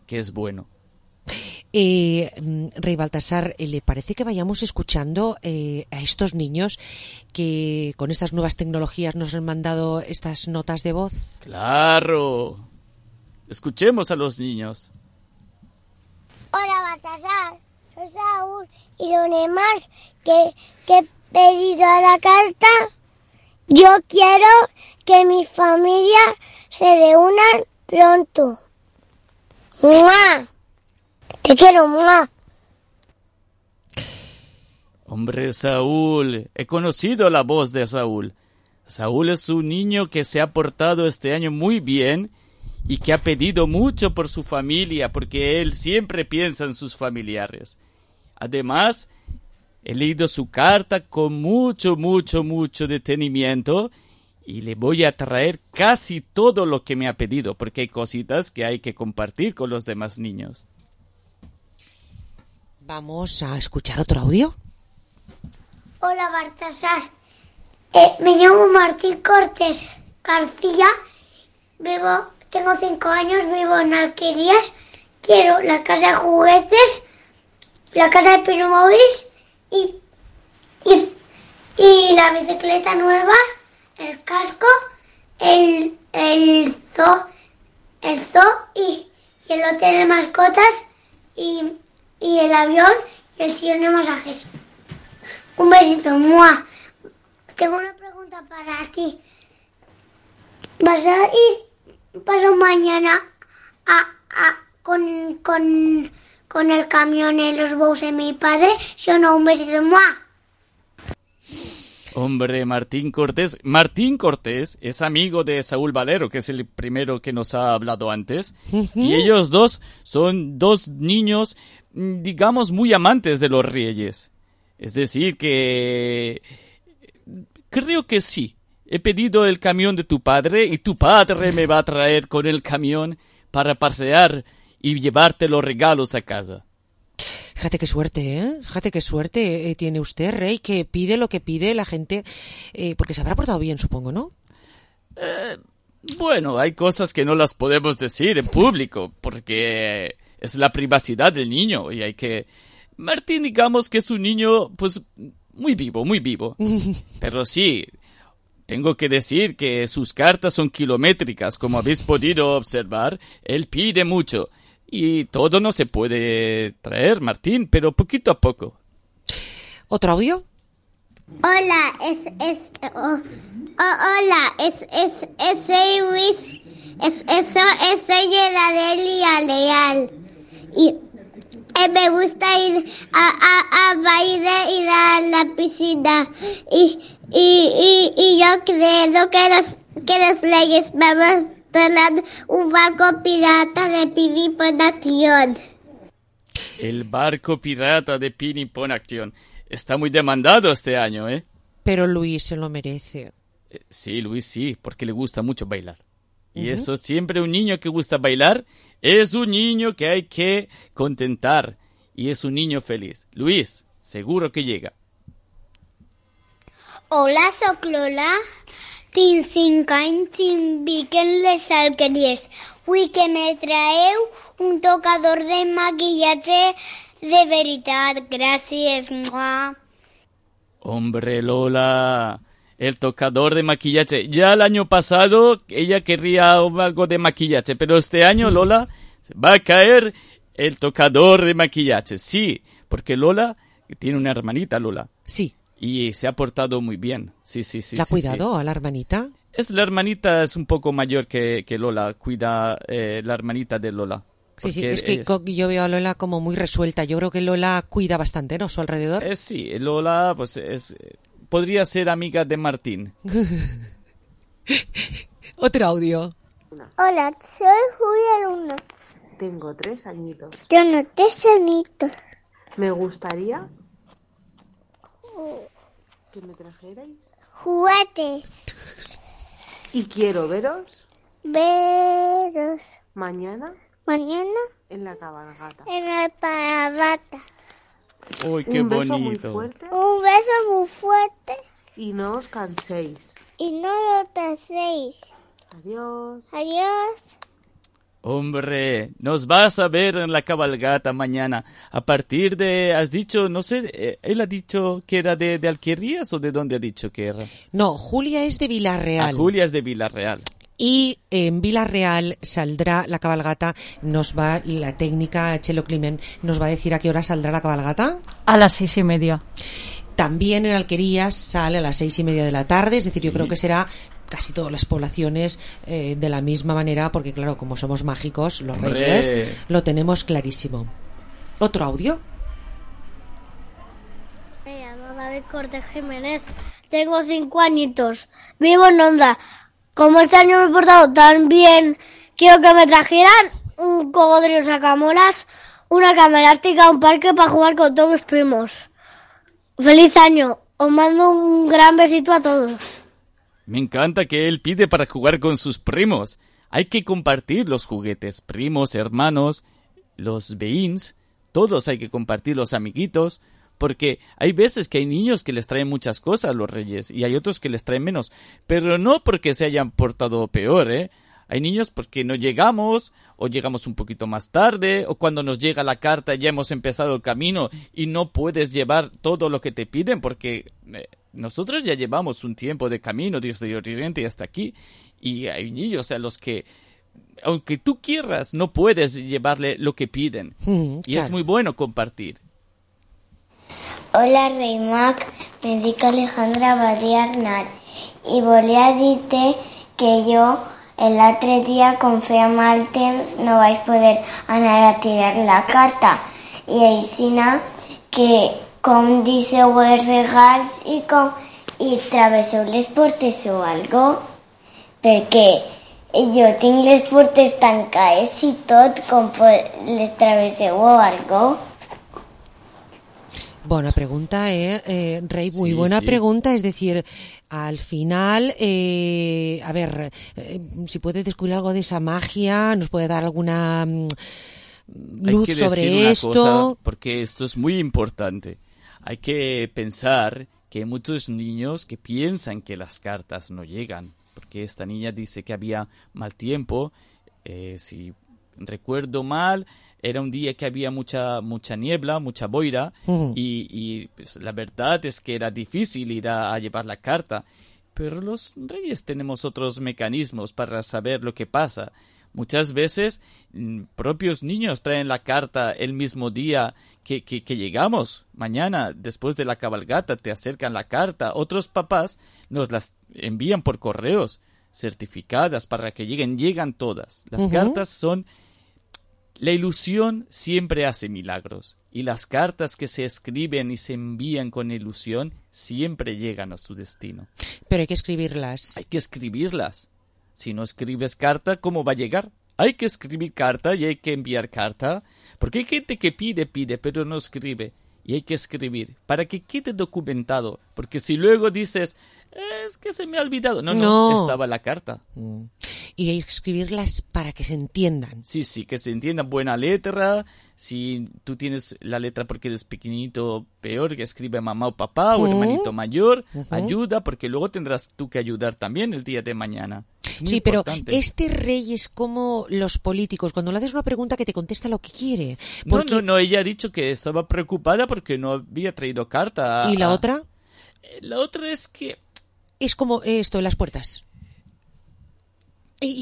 que es bueno. Rey Baltasar, ¿le parece que vayamos escuchando a estos niños que con estas nuevas tecnologías nos han mandado estas notas de voz? ¡Claro! Escuchemos a los niños. Hola Baltasar, soy Saúl y lo demás que he pedido a la carta. Yo quiero que mi familia se reúnan pronto. ¡Mua! Te quiero, ¡mua! Hombre, Saúl, he conocido la voz de Saúl. Saúl es un niño que se ha portado este año muy bien y que ha pedido mucho por su familia, porque él siempre piensa en sus familiares. Además, he leído su carta con mucho detenimiento y le voy a traer casi todo lo que me ha pedido, porque hay cositas que hay que compartir con los demás niños. Vamos a escuchar otro audio. Hola Baltasar, me llamo Martín Cortés García, tengo 5 años, vivo en Alquerías, quiero la casa de juguetes, la casa de Playmobil y la bicicleta nueva, el casco, el zoo y el hotel de mascotas y el avión y el sillón de masajes. Un besito, ¡mua! Tengo una pregunta para ti. ¿Vas a ir paso mañana con el camión en los bows de mi padre? ¿Sí o no? Un besito, ¡mua! Hombre, Martín Cortés es amigo de Saúl Valero, que es el primero que nos ha hablado antes. Y ellos dos son dos niños, digamos, muy amantes de los reyes. Es decir, que creo que sí. He pedido el camión de tu padre y tu padre me va a traer con el camión para pasear y llevarte los regalos a casa. Fíjate qué suerte, ¿eh? Fíjate qué suerte tiene usted, Rey, que pide lo que pide la gente, porque se habrá portado bien, supongo, ¿no? Bueno, hay cosas que no las podemos decir en público, porque es la privacidad del niño y hay que... Martín, digamos que es un niño, pues, muy vivo. Pero sí, tengo que decir que sus cartas son kilométricas, como habéis podido observar. Él pide mucho. Y todo no se puede traer, Martín, pero poquito a poco. ¿Otro audio? Hola, soy Luis, soy de la Delia Leal. Y me gusta ir a bailar, ir a la piscina. Y yo creo que los leyes vamos un barco pirata de Pinipón Acción. El barco pirata de Pinipón Acción. está muy demandado este año, ¿eh? Pero Luis se lo merece. Sí, Luis sí, porque le gusta mucho bailar. Y eso siempre, un niño que gusta bailar es un niño que hay que contentar. Y es un niño feliz. Luis, seguro que llega. Hola, soc Lola. Tinc 5 anys i vic en les Alqueries. Vull que me traeu un tocador de maquillatge de veritat. Gràcies. Mua. Hombre, Lola, el tocador de maquillaje. Ya el año pasado ella querría algo de maquillaje, pero este año, Lola, va a caer el tocador de maquillaje. Sí, porque Lola tiene una hermanita, Lola. Sí. Y se ha portado muy bien. Sí. ¿La ha cuidado a la hermanita? La hermanita es un poco mayor que Lola. Cuida la hermanita de Lola. Sí, es que yo veo a Lola como muy resuelta. Yo creo que Lola cuida bastante, ¿no? Su alrededor. Sí, Lola pues podría ser amiga de Martín. Otro audio. Hola, soy Julia Luna. Tengo 3 añitos. Tengo 3 añitos. Me gustaría que me trajerais juguetes. Y quiero veros mañana en la cabalgata. En la cabalgata. Uy, qué Un beso bonito. muy fuerte. Un beso muy fuerte. Y no os canséis. Y no lo canséis. Adiós. Adiós. Hombre, nos vas a ver en la cabalgata mañana. A partir de, has dicho, no sé, él ha dicho que era de Alquerías o de dónde ha dicho que era. No, Julia es de Villarreal. Julia es de Villarreal. Y en Villarreal saldrá la cabalgata. La técnica Chelo Climent nos va a decir a qué hora saldrá la cabalgata. A las 6:30. También en Alquerías sale a las 6:30 de la tarde. Es decir, yo creo que será casi todas las poblaciones de la misma manera, porque claro, como somos mágicos, los reyes, lo tenemos clarísimo. ¿Otro audio? Me llamo David Cortés Jiménez, tengo 5 añitos, vivo en Onda. Como este año me he portado tan bien, quiero que me trajeran un cocodrilo sacamoras, una cama elástica, un parque para jugar con todos mis primos. ¡Feliz año! Os mando un gran besito a todos. Me encanta que él pide para jugar con sus primos. Hay que compartir los juguetes, primos, hermanos, los veïns, todos hay que compartir, los amiguitos, porque hay veces que hay niños que les traen muchas cosas a los reyes y hay otros que les traen menos, pero no porque se hayan portado peor, ¿eh? Hay niños porque no llegamos, o llegamos un poquito más tarde, o cuando nos llega la carta ya hemos empezado el camino y no puedes llevar todo lo que te piden porque nosotros ya llevamos un tiempo de camino desde Oriente hasta aquí y hay niños a los que, aunque tú quieras, no puedes llevarle lo que piden. Y es muy bueno compartir. Hola, Rei Mag, me dic Alejandra Badia Arnal i volia dir-te que jo l'altre dia, com feia mal temps, no vaig poder anar a tirar la carta i aixina que com deixeu els regals i travesseu les portes o algo, perquè jo tinc les portes tancades i tot, com les travesseu o algo. Buena pregunta, Rey, muy buena pregunta. Es decir, al final, a ver, si puede descubrir algo de esa magia, nos puede dar alguna luz hay que sobre decir una esto. Cosa, porque esto es muy importante. Hay que pensar que hay muchos niños que piensan que las cartas no llegan, porque esta niña dice que había mal tiempo, si recuerdo mal, era un día que había mucha niebla, mucha boira, y pues, la verdad es que era difícil ir a llevar la carta. Pero los reyes tenemos otros mecanismos para saber lo que pasa. Muchas veces propios niños traen la carta el mismo día que llegamos. Mañana, después de la cabalgata, te acercan la carta. Otros papás nos las envían por correos certificadas para que llegan todas. Las cartas son... La ilusión siempre hace milagros y las cartas que se escriben y se envían con ilusión siempre llegan a su destino. Pero hay que escribirlas. Hay que escribirlas. Si no escribes carta, ¿cómo va a llegar? Hay que escribir carta y hay que enviar carta, porque hay gente que pide, pero no escribe. y hay que escribir para que quede documentado, porque si luego dices, es que se me ha olvidado, no, estaba la carta. Y hay que escribirlas para que se entiendan. Sí, que se entiendan, buena letra. Si tú tienes la letra porque eres pequeñito, peor, que escribe mamá o papá o hermanito mayor, ayuda, porque luego tendrás tú que ayudar también el día de mañana. Sí, pero este rey es como los políticos. Cuando le haces una pregunta que te contesta lo que quiere. Porque... No, ella ha dicho que estaba preocupada porque no había traído carta. ¿Y la otra? La otra es que... Es como esto, en las puertas.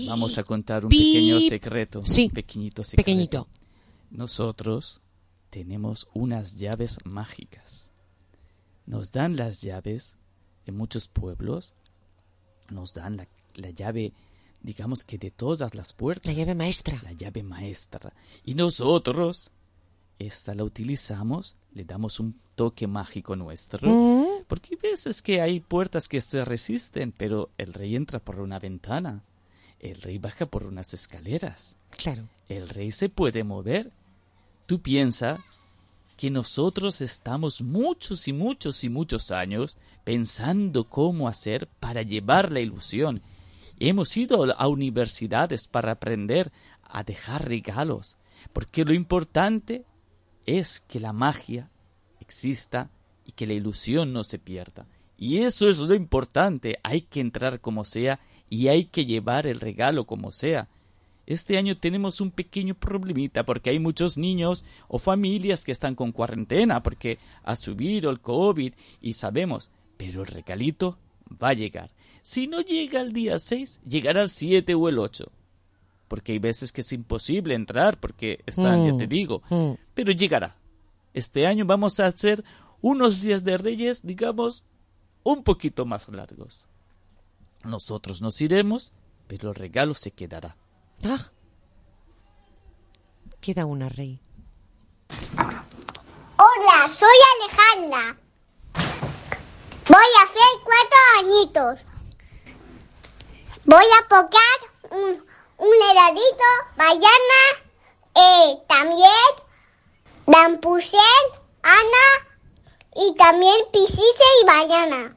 Vamos a contar un pequeño secreto. Sí, pequeñito secreto. Pequeñito. Nosotros tenemos unas llaves mágicas. Nos dan las llaves en muchos pueblos. Nos dan la llave, digamos que de todas las puertas. La llave maestra. La llave maestra. Y nosotros, esta la utilizamos, le damos un toque mágico nuestro. Porque hay veces que hay puertas que se resisten, pero el rey entra por una ventana. El rey baja por unas escaleras. Claro. El rey se puede mover. Tú piensas que nosotros estamos muchos y muchos y muchos años pensando cómo hacer para llevar la ilusión. Hemos ido a universidades para aprender a dejar regalos, porque lo importante es que la magia exista y que la ilusión no se pierda. Y eso es lo importante, hay que entrar como sea y hay que llevar el regalo como sea. Este año tenemos un pequeño problemita porque hay muchos niños o familias que están con cuarentena porque ha subido el COVID y sabemos, pero el regalito va a llegar. Si no llega el día 6, llegará el 7 o el 8. Porque hay veces que es imposible entrar porque están, ya te digo, pero llegará. Este año vamos a hacer unos días de Reyes, digamos, un poquito más largos. Nosotros nos iremos, pero el regalo se quedará. Queda una, rey. Hola, soy Alejandra. Voy a hacer 4 añitos. Voy a pocar un heladito, mañana, también Dampusel, Ana y también Pisise y mañana.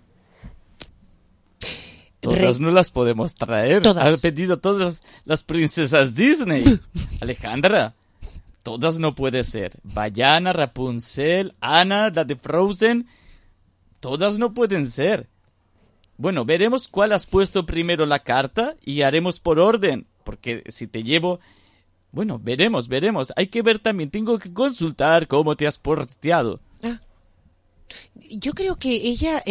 Todas no las podemos traer. Todas. Han pedido todas las princesas Disney. Alejandra, todas no puede ser. Bayana, Rapunzel, Ana, la de Frozen, todas no pueden ser. Bueno, veremos cuál has puesto primero la carta y haremos por orden. Porque si te llevo... Bueno, veremos. Hay que ver también, tengo que consultar cómo te has porteado. Yo creo que ella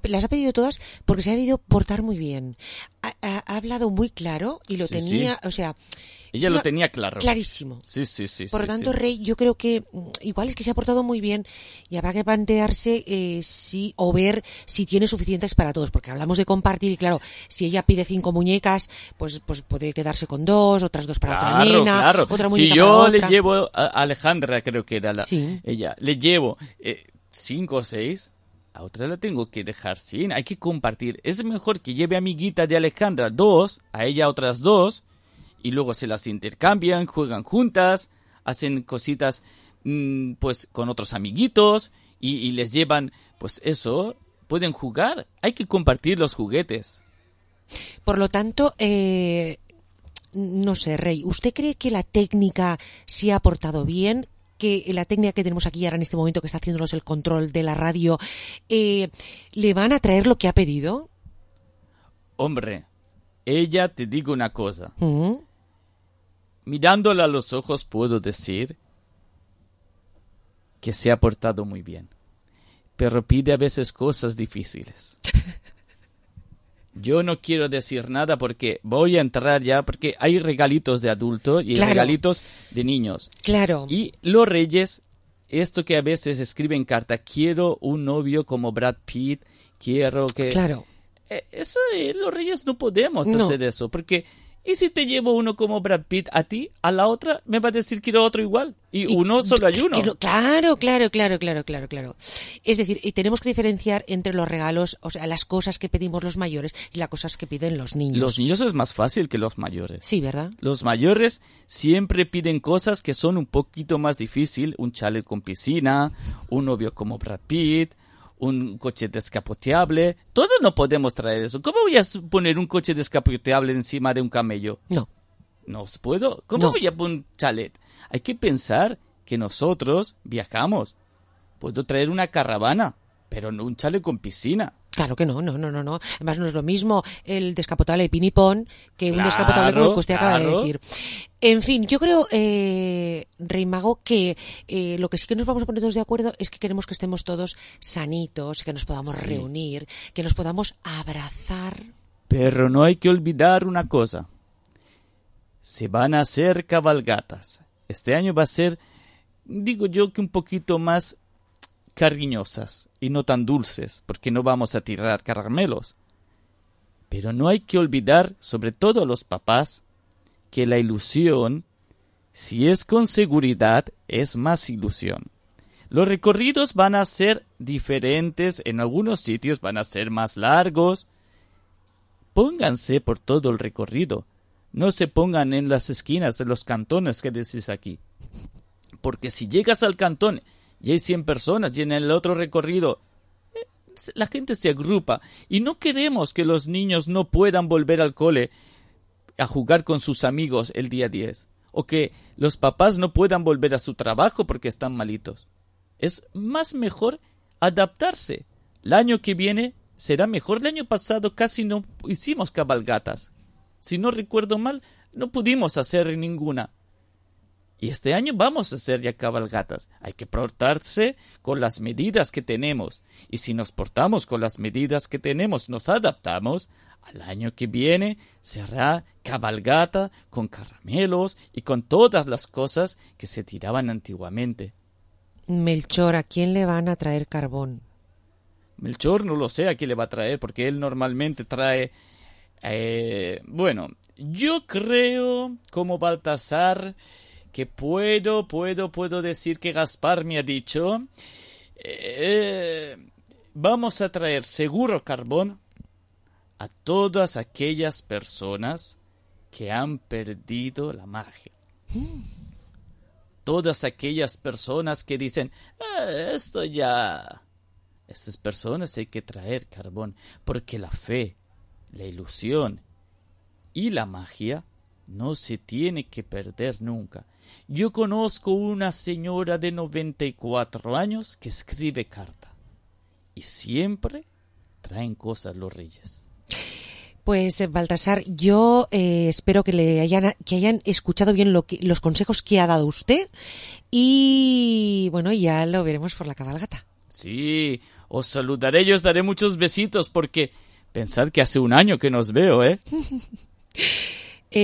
las ha pedido todas porque se ha debido portar muy bien. Ha hablado muy claro y lo tenía, sí. O sea... Ella lo tenía claro. Clarísimo. Sí. Por lo tanto, Rey, yo creo que igual es que se ha portado muy bien y habrá que plantearse o ver si tiene suficientes para todos, porque hablamos de compartir y claro, si ella pide 5 muñecas, pues puede quedarse con 2, otras 2 para otra nena, otra muñeca si yo para le otra. llevo a Alejandra, creo que era ella, le llevo 5 o 6, a otra la tengo que dejar sin, hay que compartir. Es mejor que lleve amiguita de Alejandra 2, a ella otras 2, y luego se las intercambian, juegan juntas, hacen cositas pues con otros amiguitos y les llevan, pues eso, pueden jugar, hay que compartir los juguetes. Por lo tanto, no sé, Rey, ¿usted cree que la técnica se ha portado bien? Que la técnica que tenemos aquí ahora en este momento que está haciéndonos el control de la radio, ¿le van a traer lo que ha pedido? Hombre, ella, te digo una cosa. Mirándola a los ojos puedo decir que se ha portado muy bien. Pero pide a veces cosas difíciles. Yo no quiero decir nada porque voy a entrar ya, porque hay regalitos de adulto y regalitos de niños. Claro. Y los reyes, esto que a veces escriben carta, quiero un novio como Brad Pitt, quiero que... Claro. Eso, los reyes no podemos hacer eso, porque ¿y si te llevo uno como Brad Pitt a ti? A la otra me va a decir que quiero otro igual. Y uno solo hay uno. Claro. Es decir, y tenemos que diferenciar entre los regalos, o sea, las cosas que pedimos los mayores y las cosas que piden los niños. Los niños es más fácil que los mayores. Sí, ¿verdad? Los mayores siempre piden cosas que son un poquito más difíciles. Un chalet con piscina, un novio como Brad Pitt, un coche descapoteable. Todos no podemos traer eso. ¿Cómo voy a poner un coche descapoteable encima de un camello? No puedo. ¿Cómo voy a poner un chalet? Hay que pensar que nosotros viajamos. Puedo traer una caravana, pero no un chalet con piscina. Claro que no. Además no es lo mismo el descapotable de Pinipón que un descapotable como el que usted acaba de decir. En fin, yo creo, Rey Mago, que lo que sí que nos vamos a poner todos de acuerdo es que queremos que estemos todos sanitos, que nos podamos reunir, que nos podamos abrazar. Pero no hay que olvidar una cosa. Se van a hacer cabalgatas. Este año va a ser, digo yo, que un poquito más cariñosas y no tan dulces, porque no vamos a tirar caramelos. Pero no hay que olvidar, sobre todo los papás, que la ilusión, si es con seguridad, es más ilusión. Los recorridos van a ser diferentes, en algunos sitios van a ser más largos. Pónganse por todo el recorrido. No se pongan en las esquinas de los cantones que decís aquí. Porque si llegas al cantón y hay 100 personas y en el otro recorrido la gente se agrupa y no queremos que los niños no puedan volver al cole a jugar con sus amigos el día 10 o que los papás no puedan volver a su trabajo porque están malitos. Es más mejor adaptarse. El año que viene será mejor. El año pasado casi no hicimos cabalgatas. Si no recuerdo mal, no pudimos hacer ninguna. Y este año vamos a hacer ya cabalgatas. Hay que portarse con las medidas que tenemos. Y si nos portamos con las medidas que tenemos, nos adaptamos, al año que viene se hará cabalgata con caramelos y con todas las cosas que se tiraban antiguamente. Melchor, ¿a quién le van a traer carbón? Melchor no lo sé a quién le va a traer, porque él normalmente trae... bueno, yo creo, como Baltasar, que puedo decir que Gaspar me ha dicho, vamos a traer seguro carbón a todas aquellas personas que han perdido la magia. Todas aquellas personas que dicen, esto ya... Esas personas hay que traer carbón, porque la fe, la ilusión y la magia no se tiene que perder nunca. Yo conozco una señora de 94 años que escribe carta y siempre traen cosas los reyes. Pues Baltasar, yo espero que hayan escuchado bien los consejos que ha dado usted y bueno, ya lo veremos por la cabalgata. Sí, os saludaré y os daré muchos besitos porque pensad que hace un año que nos veo, ¿eh?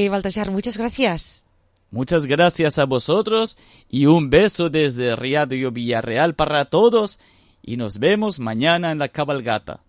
Baltasar, muchas gracias. Muchas gracias a vosotros y un beso desde Radio Villarreal para todos y nos vemos mañana en la cabalgata.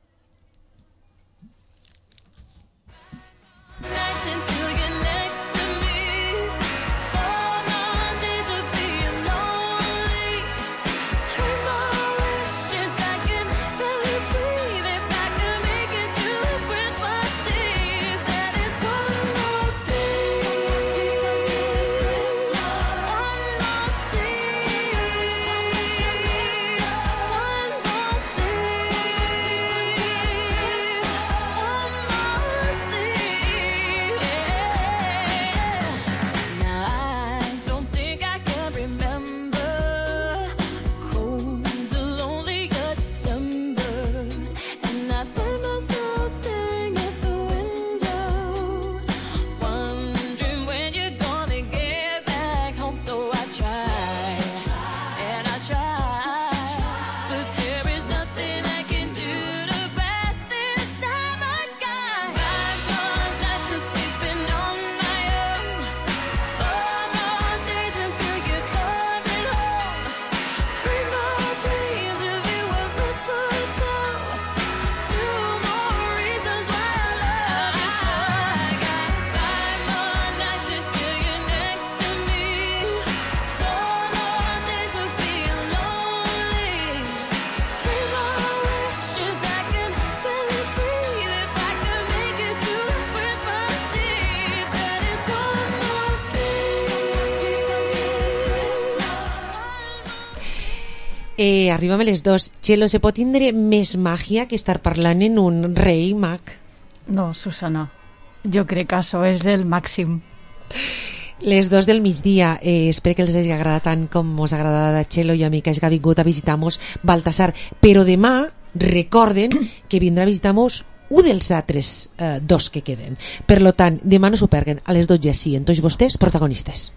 Arribem a les 2. Txelo, se pot tindre més màgia que estar parlant en un rei mag? No, Susana, jo crec que això és el màxim. Les 2 del migdia, espero que els hagi agradat tant com us ha agradat a Txelo i a mi, que hagi vingut a visitar-nos Baltasar, però demà recorden que vindrà a visitar-nos un dels altres 2 que queden. Per lo tant, demà no s'ho perguen, a les 12 sí, en tots vostès protagonistes.